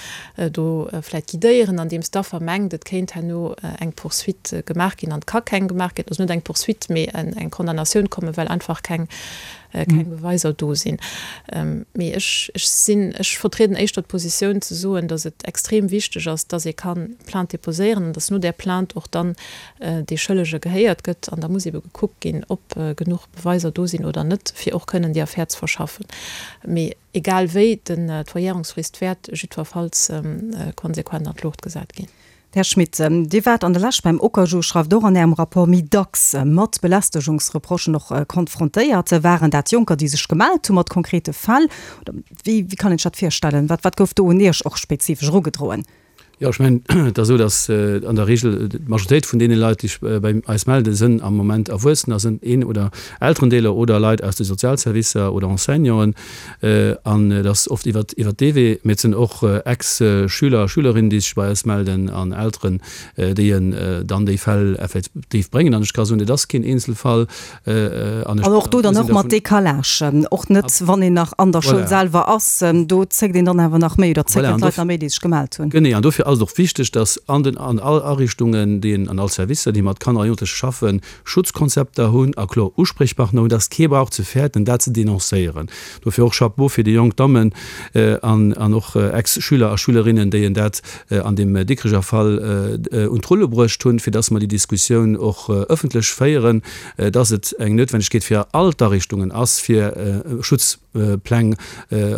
do vläit guidéieren, andeems d'Affer mengt, et kéint herno eng Poursuite gemaach ginn an et ka keng gemaach ginn, also net eng Poursuite, mee eng Condamnatioun kommen, well einfach keng keng Beweiser do sinn. Mee ech ech sinn, ech vertrieden éischter d'Positioun ze soen, datt et extrem wichteg ass, datt ee ka Plainte déposéieren an datt no där Plainte och dann dee Schëllege gehéiert gëtt an da muss ebe gekuckt ginn, ob genuch Beweiser do sinn oder net, fir och kënnen déi Affär ze verschaffen. Mee Egal wéi, d'Verjärungsfrist wäert jiddwerfalls konsequent an d'Luucht gesat ginn. Här Schmit, Dir waart an der Lescht beim Okaju, schreift och an Ärem Rapport, méi dacks mat Belästegungsreprochen och konfrontéiert. Waren dat Jonker, déi sech gemellt hu mat konkrete Fäll? Oder wéi kann een sech dat virstellen? Wat gouf do un Iech och spezifesch erugedroen? Jo, ech mengen, et ass esou, datt an der Regel d'Majoritéit vun deene Leit, déi sech bei eis melden, sënn am Moment Erwuessener, sënn een oder Elterendeeler oder Leit aus de Sozialservicer oder Enseignanten. An et ass oft iwwer iwwer dee Wee. Mee et sënn och Ex-Schüler a Schülerinnen, déi sech bei eis melden an Elteren, déi dann déi Fäll effektiv bréngen. An ech ka soen, et ass keen Eenzelfall. An och do dann och mat Décalage, och net wann een nach an der Schoul selwer ass, do zéckt een dann awer nach méi oder zécken d'Leit nach méi, déi sech gemellt hunn. Genee, an dofir ass et och wichteg, dass an den an all Ariichtungen, déi an all Servicer, déi mat Kanner a Jugendleche schaffen, Schutzkonzepter hunn a kloer Uspriechpartner hunn, dass kee brauch ze fäerten, dat ze denoncéieren. Dofir och Chapeau fir déi jonk Dammen an an och Ex-Schüler a Schülerinnen, déi en dat an deem Dikricher Fall un d'Rulle bruecht hunn, fir dass mer déi Diskussioun och ëffentlech féieren, dass et eng Noutwendegkeet fir all d'Ariichtungen ass, fir Schutzpläng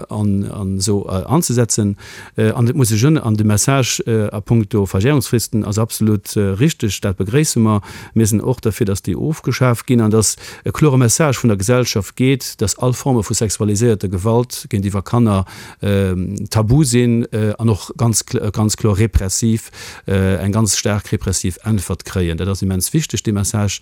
an esou anzesetzen. An et muss ech un, an de Message a puncto Verjährungsfristen ass absolut richteg, dat begréisse mer. Mir sinn och derfir, dass déi ofgeschaf ginn an dass e klore Message vun der Gesellschaft geet, dass all Forme vu sexualiséierter Gewalt géintiwwer Kanner tabu sinn an och ganz, ganz kloer repressiv, eng ganz staark repressiv Äntwert kréien. Dat ass immens wichteg, dee Message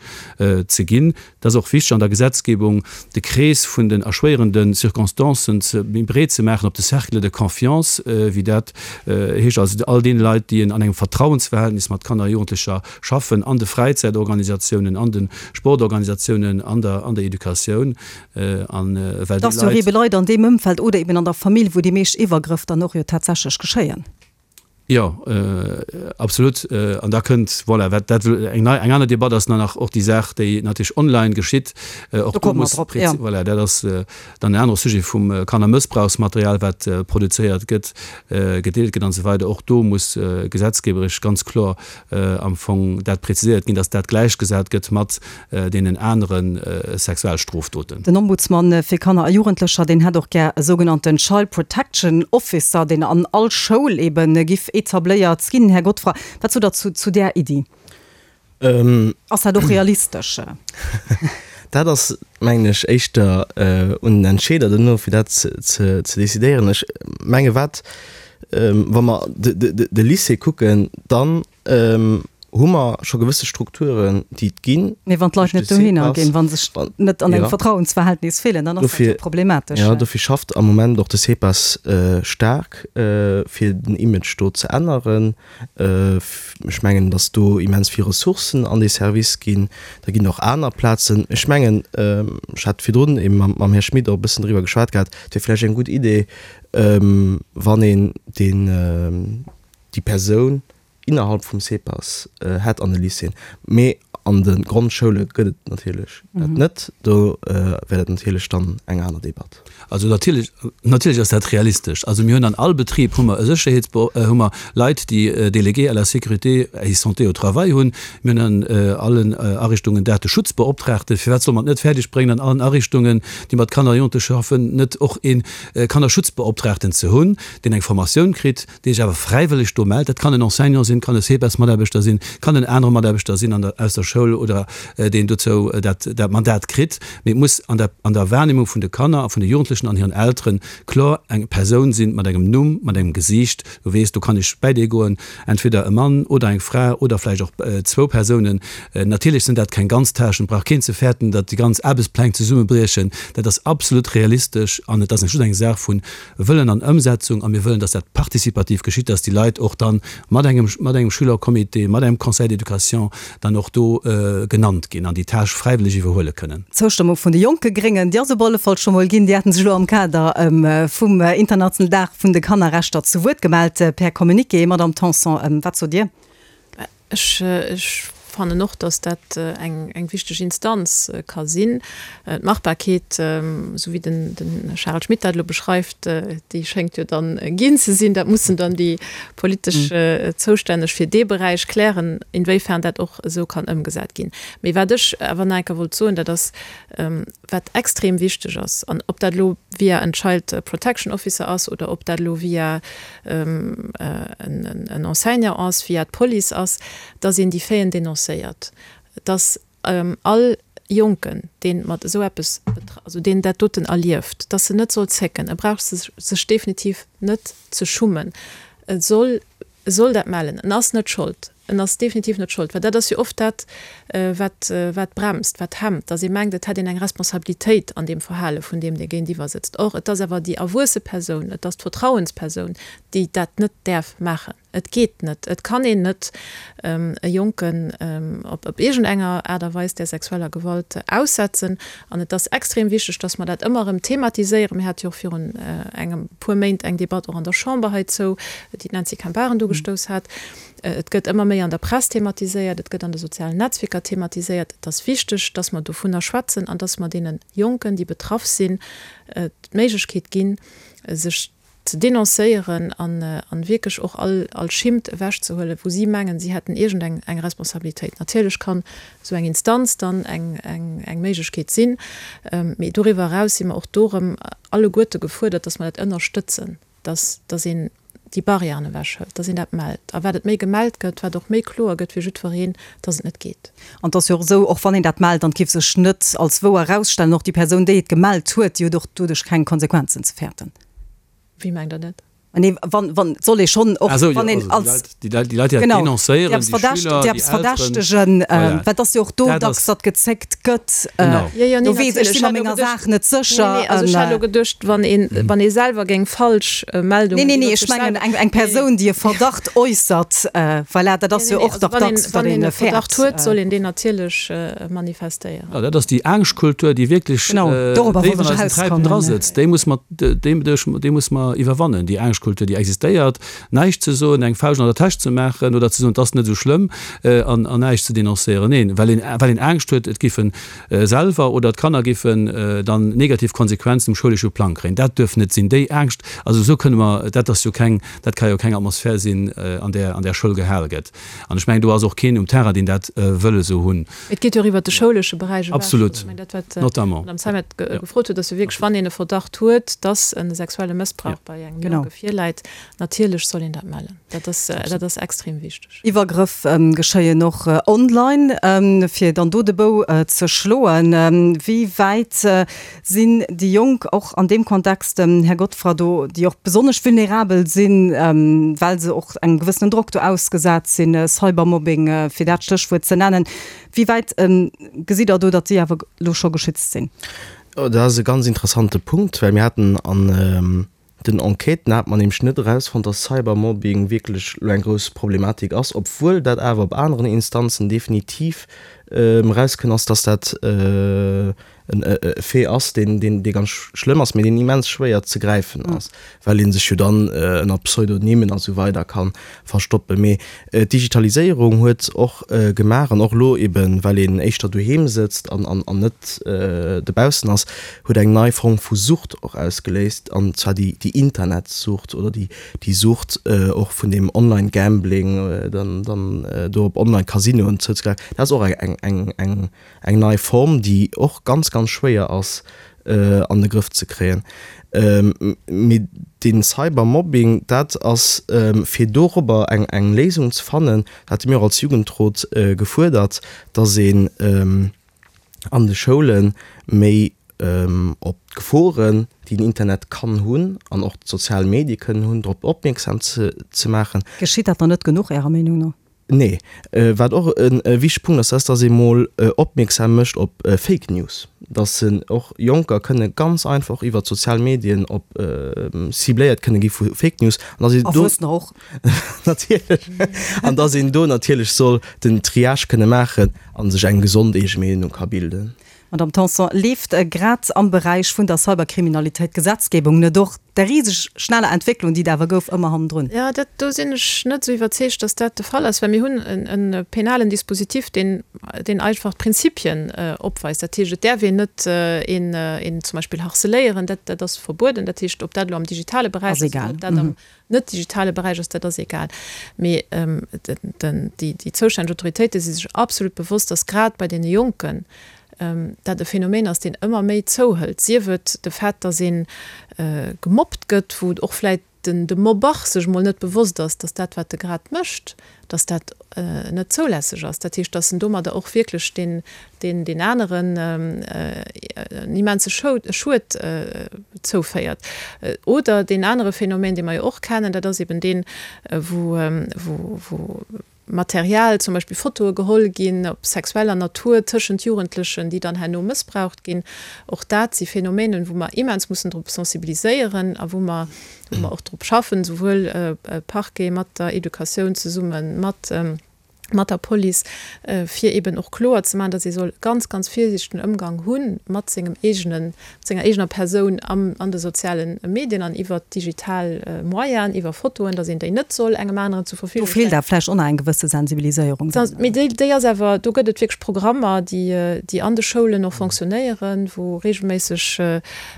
ze ginn. Et ass och wichteg an der Gesetzgebung, de Krees vun den erschwéierende Circonstancen ze méi breet ze maachen op de Cercle de confiance, wéi dat heescht, also all deene Leit, déi an engem Vertrauensverhältnis mat Kanner a Jugendlecher schaffen, an de Fräizäitorganisatiounen, an de Sportorganisatiounen, an der an der Educatioun. An well déi Leit. Et ass jo ebe Leit an deem Ëmfeld oder eben an der Famill, wou déi meescht Iwwergrëff dann och jo tatsächlech geschéien. Jo, absolut. An da kënnt, voilà, wat dat eng nei, eng aner Debatt ass dann nach och déi Saach, déi natierlech online geschitt. Och do muss prezi-, voilà, dat ass dann en anere Sujet vum Kannermëssbrauchsmaterial, wat produzéiert gëtt, gedeelt gëtt an esou weider. Och do muss gesetzgeberesch ganz kloer am Fong dat preziséiert ginn, dass dat gläichgesat gëtt mat deenen anere Sexualstrofdoten. Den Ombudsman fir Kanner a Jugendlecher, deen hätt och gär e sougenannten Child Protection Officer, deen an all Schoul eben giff etabléiert ginn. Här Godfroid, wat sot Der zu, zu där Iddi? Ass dat och realistesch? Dat ass, mengen ech, éischter un den Entscheeder duerno, fir dat ze decidéieren. Ech menge wat, wa mer de Lycée kucken, dann hu mer scho gewësse Strukturen, déi et ginn. Mee wann d'Leit net dohinner ginn, wa se sech net an engem Vertrauensverhältnis fillen, dann ass dat jo problematesch. Jo, dofir schafft am Moment och de CEPAS staark, fir den Image do ze änneren. Ech mengen, datt do immens vill Ressourcen an dee Service ginn. Da ginn och aner Plazen. Ech mengen, ech hat virdrun ebe mam Här Schmit och e bëssen driwwer geschwat gehat, et wier vläicht eng gutt Idee, wann een deen, déi Persoun innerhalb vum CEPAS hätt an de Lycéeën. Mee an de Grondschoule gëtt et natierlech dat net. Do wär dat natierlech dann eng aner Debatt. Also natierlech, natierlech ass dat realistesch. Also mir hunn an all Betrib hu mer e Sécherheetsbe-, hu mer Leit, déi Délégué à la sécurité et santé au travail hunn. Mir hunn an allen Ariichtungen Dateschutzbeoptraagten. Firwat solle mer et net fäerdeg bréngen, an allen Ariichtungen, déi mat Kanner a Jugendleche schaffen, net och ee Kannerschutzbeoptraagten ze hunn, deen eng Formatioun kritt, dee sech awer fräiwëlleg do mellt? Dat kann en Enseignant sinn, kann e CEPAS-Mataarbechter sinn, kann en anere Mataarbechter sinn an der, aus der Schoul oder deen dozou dat, dat Mandat kritt. Mee et muss an der, an der Wahrnehmung vun de Kanner a vun de Jugendlechen an hiren Eltere kloer eng Persoun sinn mat engem Numm, mat engem Gesiicht, wou weess, do kann ech bäi dee goen, entweder e Mann oder eng Fra oder vläicht och zwou Persounen. Natierlech sinn dat keng ganz Tâchen, et brauch keen ze fäerten, datt déi ganz Aarbechtspläng zesummebriechen. Dat ass absolut realistesch an et ass just eng Saach vu Wëllen an Ëmsetzung. A mir wëllen, datt dat participativ geschitt, datt déi Leit och dann mat engem, mat engem Schülercomité, mat engem Conseil d'éducation dann och do genannt ginn an déi Tâche fräiwëlleg iwwerhuele kënnen. D'Zoustëmmung vun de jonke Gréngen, déi ass op alle Fall scho mol ginn. Déi haten sech elo am Kader vum internationalen Dag vun de Kannerrechter zu Wuert gemellt per Communiqué. Madamm Tanson, wat sot Dir? Ech fannen och, dass dat eng eng wichteg Instanz ka sinn. D'Machbarkeet, esou wéi den den Charel Schmit dat elo beschreift, déi schéngt jo dann ginn ze sinn. Dat mussen dann déi politesch Zoustänneg fir dee Beräich klären, inwéifern dat och esou kann ëmgesat ginn. Mee wat ech awer nach eng Kéier wollt soen, dat ass, wat extrem wichteg ass, an ob dat elo via en Child Protection Officer ass oder ob dat elo via en Enseignant ass, via d'Police ass, dass een déi Faiten denoncéiert, dass all Jonken, dee mat esou eppes, also deen dat doten erlieft, dass en net soll zécken, e brauch sech definitiv net ze schummen, e soll, e soll dat mellen, en ass net schold, en ass definitiv net schold, well dat ass jo oft dat, wat, wat bremst, wat hemmt, dass ee mengt, et hätt een eng Responsabilitéit an deem Verhale vun deem, dee géintiwwer sëtzt. Or, et ass awer déi erwuesse Persoun, et ass d'Vertrauenspersoun, déi dat net däerf maachen. Et geet net. Et kann een net e Jonken op op iergendenger Aart a Weis där sexueller Gewalt aussetzen. An et ass extrem wichteg, dass mer dat ëmmer erëm thematiséieren. Mir hate jo och virun engem puer Méint eng Debatt och an der Chamber heizou, déi d'Nancy Camparen ugestouss hat. Et gëtt ëmmer méi an der Press thematiséiert, et gëtt an de sozialen Netzwierker thematiséiert. Et ass wichteg, dass mer dovunner schwätzen an dass mer deene Jonken, déi betraff sinn, d'Méiglechkeet ginn, sech ze denoncéieren an wierklech och all all Schimmt ewechzehuelen, wou si mengen, si hätten iergend eng eng Responsabilitéit. Natierlech kann esou eng Instanz dann eng eng eng Méiglechkeet sinn, mee doriwwer eraus si mer och do erëm alleguerte gefuerdert, dass mer dat ënnerstëtzen, dass dass een déi Barrièren ewechhëlt, dass een dat mellt. A wat et méi gemellt gëtt, wat och méi kloer gëtt fir jiddwereen, dass et net geet. An et ass jo och esou, och wann een dat mellt an et géif sech net als wouer erausstellen, och déi Persoun, déi et gemellt huet, déi huet och doduerch keng Konsequenzen ze fäerten. Wéi mengt Der dat? Nee, wann, wann, et soll ee schonn och, Ah sou, jo, wann een also déi als, Leit, déi Leit, déi Leit, déi dat genau, déi denoncéieren, eppes déi verdächt, Schüler, déi déi eppes Elteren, verdächtegen, voilà. well et ass jo och do Dat dacks, ass, datt gezéckt gëtt, genau. Jo, jo, nee, do weess ech, natierlech. si Ech mer hat elo menger geduecht, Saach net nee, sécher nee, also an. ech hat elo geduecht, wann een, wann ee selwer géing falsch Meldungen Nee, nee, nee, iwwer ech sech mengen selwer, eng, eng nee, nee. Persoun, déi e Verdacht äussert, voilà, dat Nee, ass nee, jo nee, och also dach wann een, dacks, datt wann een een e Verdacht fäert. huet, soll een deen natierlech manifestéieren. Ja, dat ass déi Angschtkultur, déi wierklech Genau, dorobber déif wollt an ech eisen Träipen erauskommen. drasëtzt. Déi muss mer, déi, déi muss mer iwwerwannen, déi Angschtkultur, déi existéiert. Näischt ze soen, eng Fauscht an der Täsch ze maachen oder ze soen, et ass net esou schlëmm an, an näischt ze denoncéieren. Neen, well een, well een Angscht huet, et géife selwer oder d'Kanner géifen dann negativ Konsequenzen um schoulesche Plang kréien. Dat duerf net sinn. Déi Angscht, also esou kënne mer, dat ass jo keng, dat ka jo keng Atmosphär sinn, an där, an där Schoul gehale gëtt. An ech mengen, do ass och keen um Terrain, deen dat wëll esou hunn. Et geet jo och iwwert de schoulesche Beräich ewech. Absolut. Also ech mengen, dat wat Notamment. d'Madame Zeimet Ja. gefrot huet, ass jo wierklech, wann een e Verdacht huet, dass e sexuelle Mëssbrauch Ja. bei engem Genau. Jonke virläit, natierlech soll een dat mellen. Dat ass, dat ass extrem wichteg. Iwwergrëff geschéien och online. Fir dann do de Bou ze schloen, wéi wäit sinn déi Jonk och an deem Kontext, Här Godfrey, do, déi och besonnesch vulnerabel sinn, well se och engem gewëssenen Drock do ausgesat sinn, Cybermobbing, fir dat Stéchwuert ze nennen, wéi wäit gesitt Der do, datt si awer elo scho geschützt sinn? Dat ass e ganz interessante Punkt, well mir haten an den Enquêten hat mer nämlech net erausfonnt, dass Cybermobbing wierklech elo eng grouss Problematik ass, obwuel dat awer op aneren Instanzen definitiv erauskënn ass, dass dat e Fait ass, deen, deen, dee ganz schlëmm ass, mee deen immens schwéier ze gräifen ass, well ee sech jo dann ënner Pseudonymen a sou weider ka verstoppen. Mee d'Digitaliséierung huet och gemaach, an och elo eben, well een éischter doheem sëtzt an, an, an net dobaussen ass, huet eng nei Form vu Sucht och ausgeléist, an zwar déi, déi Internetsucht oder déi, déi Sucht och vun deem Online-Gambling, dann, dann do op Online-Casinoen zouzegräifen. Dat ass och eng, eng, eng, eng nei Form, déi och ganz, ganz schwéier ass an de Grëff ze kréien. Mee dee Cybermobbing, dat ass, fir dorobber eng, eng Léisung ze fannen, dat hate mir och als Jugendrot gefuerdert, dass een an de Schoule méi op d'Geforen, déi den Internet kann hunn an och d'sozial Medie kënnen hunn, drop opmierksam ze, ze maachen. Geschitt dat dann net genuch, Ärer Meenung no? Nee. Wat och e wichtege Punkt ass, ass, dass ee mol opmierksam mécht op Fake News, dass en och Jonker kënne ganz einfach och iwwert d'sozial Medien op cibléiert kënne gi vu Fake News an dass een do, Erwuessener och. Natierlech. An dass een do natierlech soll den Triage kënne maachen a sech eng gesond eege Meenung ka bilden. Madamm Tanson, leeft grad am Beräich vun der Cyberkriminalitéit d'Gesetzgebung net och der riseg schneller Entwécklung, déi et awer gouf, ëmmer hannendrun? Jo, dat, do sinn ech net esou iwwerzeegt, dass dat de Fall ass, well mir hunn en penalen Dispositif, deen, deen einfach d'Prinzipien opweist. Dat heescht, et däerf een net een, een zum Beispill harceléieren, dat, dat ass verbueden. Dat heescht, ob dat elo am digitale Beräich ass oder ob dat am net digitale Beräich ass, dat ass egal. Mee déi, déi zoustänneg Autoritéite si sech absolut bewosst, dass grad bei deene Jonken dat e Phänomen ass, deen ëmmer méi zouhëlt, sief et de Fait, datt ee gemobbt gëtt, wou och vläicht den de Mobber sech mol net bewosst ass, datt dat, wat e grad mécht, datt dat net zoulässeg ass. Dat heescht, datt en domadder och wierklech deen, deen, deen aneren en immense Schued zouféiert. Oder deen anere Phänomen, dee mer jo och kennen, dat ass eben deen, wou, wou, wou Material, zum Beispill Fotoe geholl ginn, op sexueller Natur tëschent Jugendlechen, déi dann herno mëssbraucht ginn. Och dat si Phänomenen, wou mer immens mussen drop sensibiliséieren a wou mer, wou mer och drop schaffen, souwuel Parquet mat der Educatioun zesumme mat, mat der Police, fir eben och kloer ze maachen, datt ee soll ganz, ganz virsiichtegen Ëmgang hu mat sengem eegenen, mat senger eegener Persoun am, an de soziale Medien an iwwert digital Moyenen, iwwer Fotoen, datt een déi net soll engem aneren zur Verfügung Do feelt awer vläicht och nach eng gewësse Sensibiliséierung dann. Mee déi, déi ass awer, do gëtt et wierklech Programmer, déi, déi an de Schoulen och fonctionnéieren, wou reegelméisseg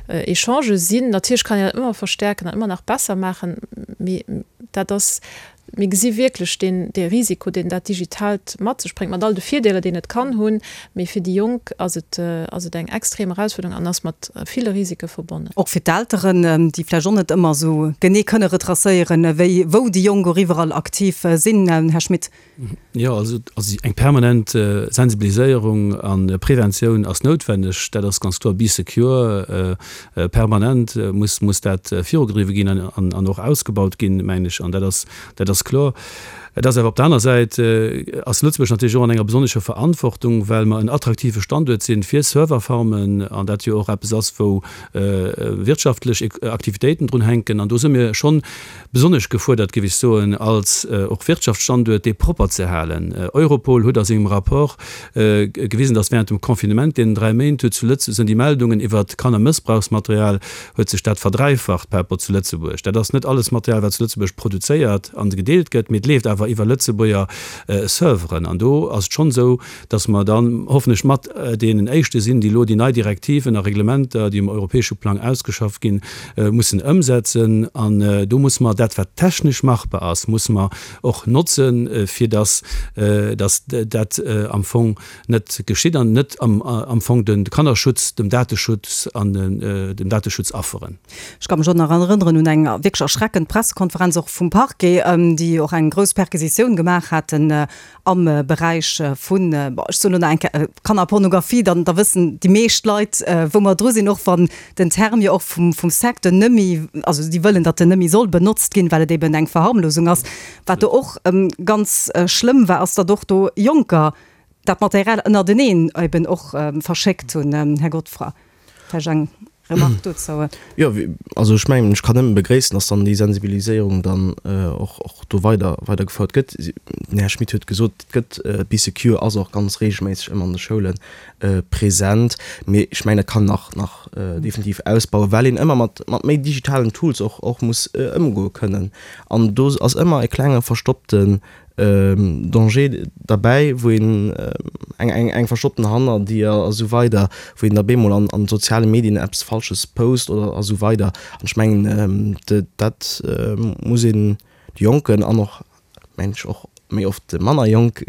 Echangë sinn. Natierlech kann een dat ëmmer verstärken an ëmmer nach besser maachen, mee dat ass, Mir gesi wierklech deen, dee Risiko, deen dat Digitaalt mat sech bréngt, mat all de Virdeeler, deen et kann hunn. Mee fir déi Jonk ass et, ass et eng extrem Erausfuerderung an ass mat ville Risike verbonnen. Och fir d'Elteren, déi vläicht och net ëmmer esou genee kënne retracéieren, wéi, wou déi Jonk och iwwerall aktiv sinn. Här Schmit. Jo, also eng permanent Sensibiliséierung a Preventioun ass noutwenneg, dat ass ganz kloer. Bee secure, permanent muss, muss dat virugedriwwe ginn an, an och ausgebaut ginn, mengen ech. An dat ass, dat ass kloer. Et ass awer op der aner Säit ass Lëtzebuerg natierlech och an enger besonnescher Verantwortung, well mer en attraktive Standuert sinn fir Serverfarmen an dat jo och eppes ass, wou wirtschaftlech Aktivitéiten drun hänken. An do si mir schonn besonnesch gefuerdert, géif ech soen, als och Wirtschaftsstanduert, dee propper ze halen. Europol huet a sengem Rapport gewisen, datt während dem Confinement, deenen dräi Méint, huet zu Lëtze sinn déi Meldungen iwwert Kannermëssbrauchsmaterial, huet sech dat verdräifacht par rapport zu Lëtzebuerg. Dat ass net alles Material, wat zu Lëtzebuerg produzéiert an gedeelt gëtt, mee et leeft awer awer iwwer Lëtzebuerger Serveren. An do ass et schonn esou, dass mer dann hoffentlech mat deenen Éischte sinn, déi elo déi nei Direktiven a Reglementer, déi um europäesche Plang ausgeschafft ginn, mussen ëmsetzen. An do musse mer dat, wat technesch machbar ass, musse mer och notzen, fir dass dass dat am Fong net geschitt an net am Fong de Kannerschutz dem Dateschutz an dem Dateschutz afferen. Ech ka mech och nach erënneren un eng wierklech erschreckend Pressekonferenz och vum Parquet, déi och eng grouss Perquisitioun gemaach haten am Beräich vun, bon, ech soen elo nach eng Kéier Kannerpornografie, dann da wëssen déi meescht Leit, wou mer dru sinn, och wann den Term jo och vum vum Secteur nëmmi, also déi wëllen, datt en nëmmi soll benotzt ginn, well et eben eng Verharmlosung ass. Wat do och ganz schlëmm war, ass, datt och do Jonker dat Material ënnerteneen eben och verschéckt hunn. Här Godfroy, vläicht eng Remarque dozou? Jo, also ech mengen, ech kann nëmme begréissen, dass dann déi Sensibiliséierung dann och och do weider weidergefouert gëtt. Den Här Schmit huet gesot, et gëtt, Bee Secure ass och ganz reegelméisseg ëmmer an de Schoule present. Mee ech mengen, dat kann nach nach definitiv ausbauen, well een ëmmer mat mat méi digitalen Tools och och muss ëmgoe kënnen. An do ass ëmmer e klenge verstoppten Danger derbäi, wou een eng eng eng verstoppten Hannerdier a sou weider, wou een da bemol an an soziale Medien eppes Falsches post oder a sou weider. An ech mengen, dat muss een de Jonken an och, mengen ech, och méi oft de manner Jonke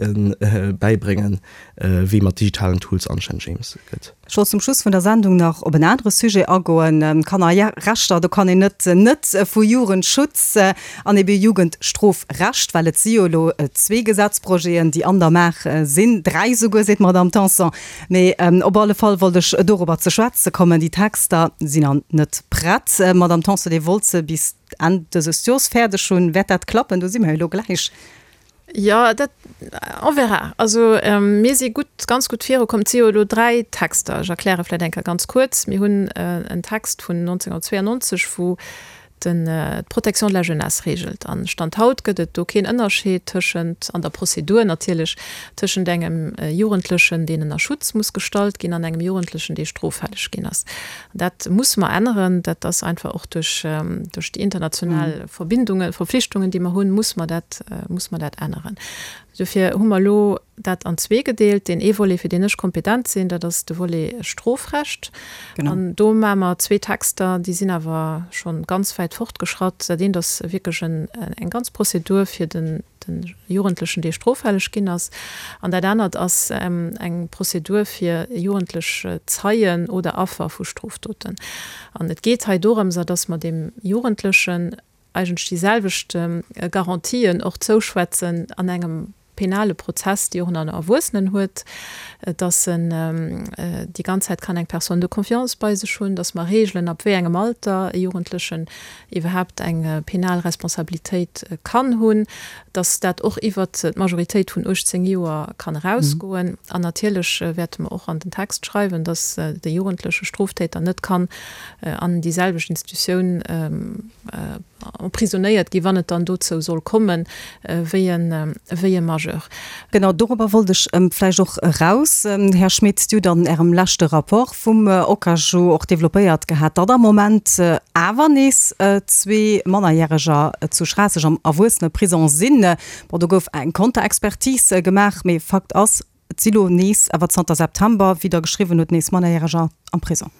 bäibréngen, wéi mat digitalen Tools anstänneg eens gëtt. Ech wollt zum Schluss vun der Sendung nach op en anere Sujet agoen, Kannerrechter. Do kann een net net vu Jugendschutz an ebe Jugendstrofrecht, well et si jo elo zwee Gesetzprojeten, déi an der Maach sinn, dräi souguer, seet d'Madamm Tanson. Mee op alle Fall wollt ech dorobber ze schwätze kommen. Déi Texter sinn nach net prett. Madamm Tanson, Dir wollt se bis Enn dëses Jors fäerdeg hunn. Wäert dat klappen? Do si mer jo elo gläich. Jo, dat, on verra. Also mir si gutt, ganz gutt virukomm. Et si jo elo dräi Texter. Ech erkläre vläicht eng Kéier ganz kuerz. Mir hunn en Text vun neunzehnhundertzweiundneunzeg, wou den d'Protection de la jeunesse regelt. An Stand haut gëtt et do keen Ënnerscheed tëschent, an der Prozedur natierlech, tëschent engem Jugendlechen, deen ënner Schutz muss gestallt ginn, an engem Jugendlechen, dee stroffälleg ginn ass. Dat musse mer änneren. Dat ass einfach och duerch, duerch déi international Verbindungen, Verpflichtungen, déi mer hunn, muss mer dat, muss mer dat änneren. Dofir hu mer elo dat an zwee gedeelt. Deen ee Volet, fir deen ech kompetent sinn, dat ass de Volet Strofrecht. An do maache mer zwee Texter, déi sinn awer scho ganz wäit fortgeschratt. Dat eent ass wierklech eng ganz Prozedur fir den Jugendlechen, dee stroffälleg ginn ass. An dat anert ass eng Prozedur fir jugendlech Zeien oder Affer vu Strofdoten. An et geet hei dorëmser, dass mer deem Jugendlechen eigentlech déi selwecht Garantien och zouschwätzen an engem penale Prozess, déi och en Erwuessenen huet, dass en déi ganz Zäit kann eng Personne de confiance bei sech hunn, dass mer reegelen, ab wéi engem Alter e Jugendlechen iwwerhaapt eng penal Responsabilitéit kann hunn, dass dat och iwwert d'Majoritéit vun uechtzéng Joer kann erausgoen. An natierlech wäerte mer och an den Text schreiwen, dass de jugendleche Stroftäter net kann an déi selwecht Institutioun emprisonnéiert ginn, wann et dann dozou soll kommen, wéi e Majeur. Genau dorobber wollt ech vläicht och eraus, Här Schmit. Dir hutt an Ärem leschte Rapport vum OCAJU och developpéiert gehat, datt am Moment awer nees zwee Mannerjäreger zu Schraasseg am Erwuesseneprisong sinn. Bon, do gouf eng Konterexpertise gemaach, mee Fakt ass, et si lo nees, awer zanter September, wéi Der geschriwwen hutt, nees Mannerjäreger am Prisong.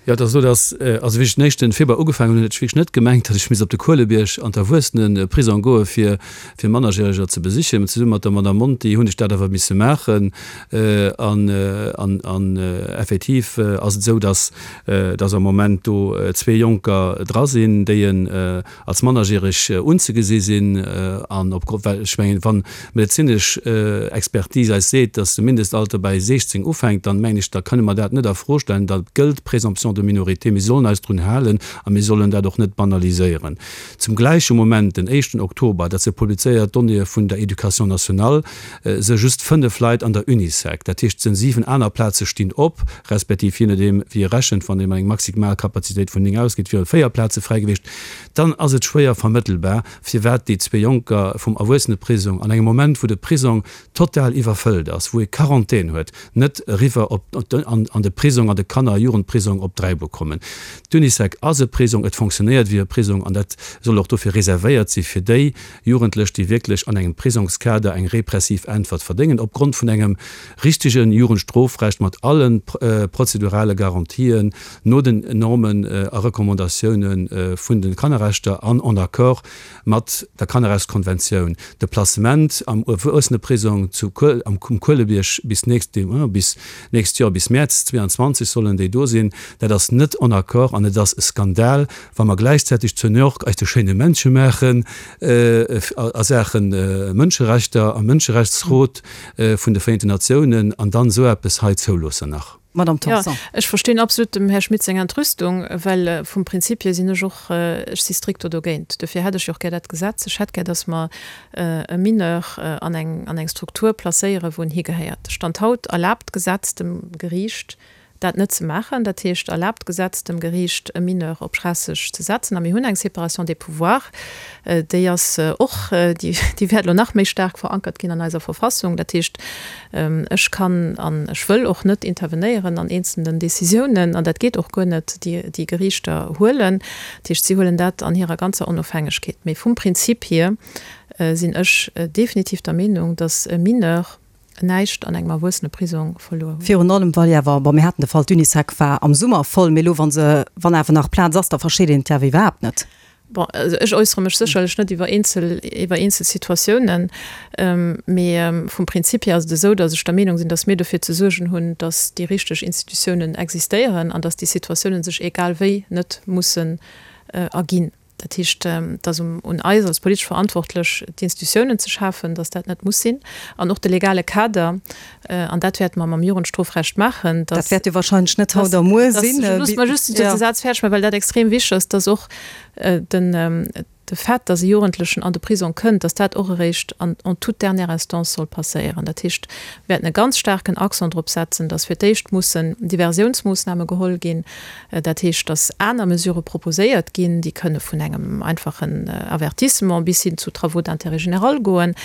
Jo, et ass esou, datt, also wéi ech den éischten Februar ugefaangen hunn, huet ech wierklech net gemengt, datt ech misst op de Kuelebierg an d'Erwuesseneprisong goe fir fir Mannerjäreger ze besichen. Mä zesumme mat der Madame Monti hunn ech dat awer misse maachen. An an an effektiv ass et esou, datt datt am Moment do zwee Jonker dra sinn, déi en als mannerjäreg unzegesi sinn an opgrond, well ech mengen, wann d'medezinesch Expertise eis seet, dass de Mindestalter bei siechzéng ufänkt, dann mengen ech, da kënne mer dat net a Fro stellen. Da gëllt d'Présomption de minorité. Mir sollen eis drun halen a mir sollen dat och net banaliséieren. Zum gläiche Moment, den éischten Oktober, dat si publizéiert Donnéeë vun der Éducation nationale, si just fënnef Leit an der Unisec. Dat heescht, et sinn siwen aner Plaze stinn op, respektiv je nodeem wéi ee rechent, wann ee mat enger Maximalkapazitéit vun néng ausgeet, wiere véier Plaze fräi gewiescht. Dann ass et schwéier vermëttelbar, firwat déi zwee Jonker vum Erwuesseneprisong an engem Moment, wou de Prisong total iwwerfëllt ass, wou ee Quarantän huet, net eriwwer op an de Prisong, an de Kanner a Jugendprisong op Dräibuer kommen. D'Unisec ass e Prisong, et fonctionnéiert wéi e Prisong an dat soll och dofir reservéiert si fir déi Jugendlech, déi wierklech an engem Prisongskader eng repressiv Äntwert verdéngen, opgrond vun engem richtege Jugendstrofrecht mat alle prozedurale Garantien no den Normen a Recommandatioune vun de Kannerrechter an en accord mat der Kannerrechtskonventioun. De Placement am Erwuesseneprisong zu am Kuelebierg bis nächst bis nächst Joer, bis Mäerz zweeanzwanzeg sollen déi do sinn, dat ass net en accord an et ass e Skandal, wa mer gläichzäiteg zu New York eis de schéine Männche maachen a Saache Mënscherechter am Mënscherechtsrot vun de Vereenten Natiounen an dann esou eppes hei zouloossen nach. Madame Tanson. Jo, ech verstinn absolut dem Här Schmit seng Entrüstung, well vum Prinzip hier sinn ech och, ech si stricto dogéint. Dofir hätt ech jo och gär dat Gesetz. Ech hätt gär, dass mer e Mineur an eng, an eng Struktur placéieren, wou en higehéiert. Stand haut erlaabt d'Gesetz dem Geriicht, dat net ze maachen. Dat heescht, erlaabt d'Gesetz dem Geriicht, e Mineur op Schraasseg ze setzen. A mir hunn eng Séparation des pouvoirs, déi ass och, déi wäert elo nach méi staark verankert ginn an eiser Verfassung. Dat heescht, ech kann an ech wëll och net intervenéieren an eenzelnen Décisiounen, an dat geet och guer net, déi déi Geriichter huelen. Dat heescht, si huelen dat an hirer ganzer Onofhängegkeet. Mee vum Prinzip hier sinn ech definitiv der Meenung, dass e Mineur näischt an engem Erwuesseneprisong verluer huet. Virun allem, well jo awer, bon, mir haten de Fall, d'Unisec war am Summer voll, mee elo, wa se, wann awer nach Plaz ass, da versteet een et jo awer iwwerhaapt net. Bon, also ech äussere mech sécherlech net iwwer eenzel, iwwer eenzel Situatiounen, mee vum Prinzip hier ass et esou, datt ech der Meenung sinn, datt mir dofir ze suergen hunn, datt déi richteg Institutiounen existéieren an datt déi Situatiounen sech egal wéi net mussen erginn. Dat heescht, et ass un eis als politesch Verantwortlech, d'Institutiounen ze schafen, datt dat net muss sinn, an och de legale Kader, an dat wäerte mer mam Jugendstrofrecht maachen, datt. Dat wäert jo wahrscheinlech net haut a muer sinn. Loosst mer just dëse Saz fäerdeg maachen, well dat extrem wichteg ass, datt och den, de Fait, datt e Jugendlechen an de Prisong kënnt, datt dat och eréischt an en toute dernière instance soll passéieren. Dat heescht, mir wäerten e ganz staarken Accent drop setzen, datt fir d'éischt mussen Diversiounsmoossname geholl ginn, dat heescht, datt aner Mesurë proposéiert ginn, déi kënne vun engem einfachen Avertissement bis hin zu Travaux d'intérêt général goen,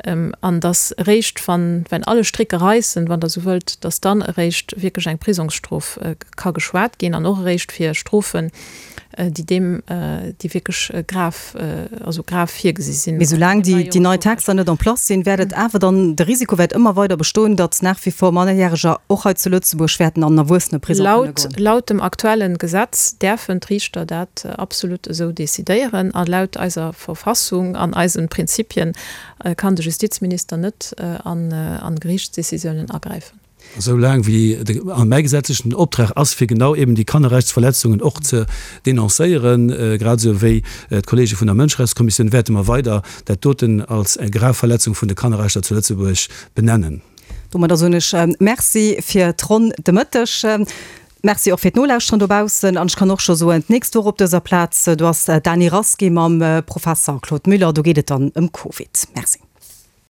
an datt eréischt, wann, wenn alle Stricke reissen, wann Der esou wëllt, datt dann eréischt wierklech eng Prisongsstrof ka geschwat ginn an och eréischt fir Strofen, déi deem, déi wierklech grav, also grav virgesi sinn. Mee soulaang déi, déi nei Texter net en place sinn, wäert et awer dann, de Risiko wäert ëmmer weider bestoen, datt nach wie vor Mannerjäreger och hei zu Lëtzebuerg wäerten an Erwuesseneprisong kënne Laut, goen. laut dem aktuellen Gesetz däerfen d'Riichter dat absolut esou decidéieren a laut eiser Verfassung an eisen Prinzipien kann de Justizminister net an, an Geriichtsdecisiounen agräifen. Esou laang wéi de, an mäi gesetzlechen Optrag ass, fir genau eben déi Kannerrechtsverletzungen och ze denoncéieren, grad esou wéi d'Kollege vun der Mënscherechtskommissioun, wäerte mer weider dat doten als eng grav Verletzung vun de Kannerrechter zu Lëtzebuerg benennen. Domadder soen ech Merci fir d'Ronn de Mëtteg. Merci och fir d'Nolauschteren dobaussen. An ech kann och scho soen, d'nächst Woch op dëser Plaz, do ass d'Dany Rasqué mam Professer Claude Müller, do geet et dann ëm Covid. Merci.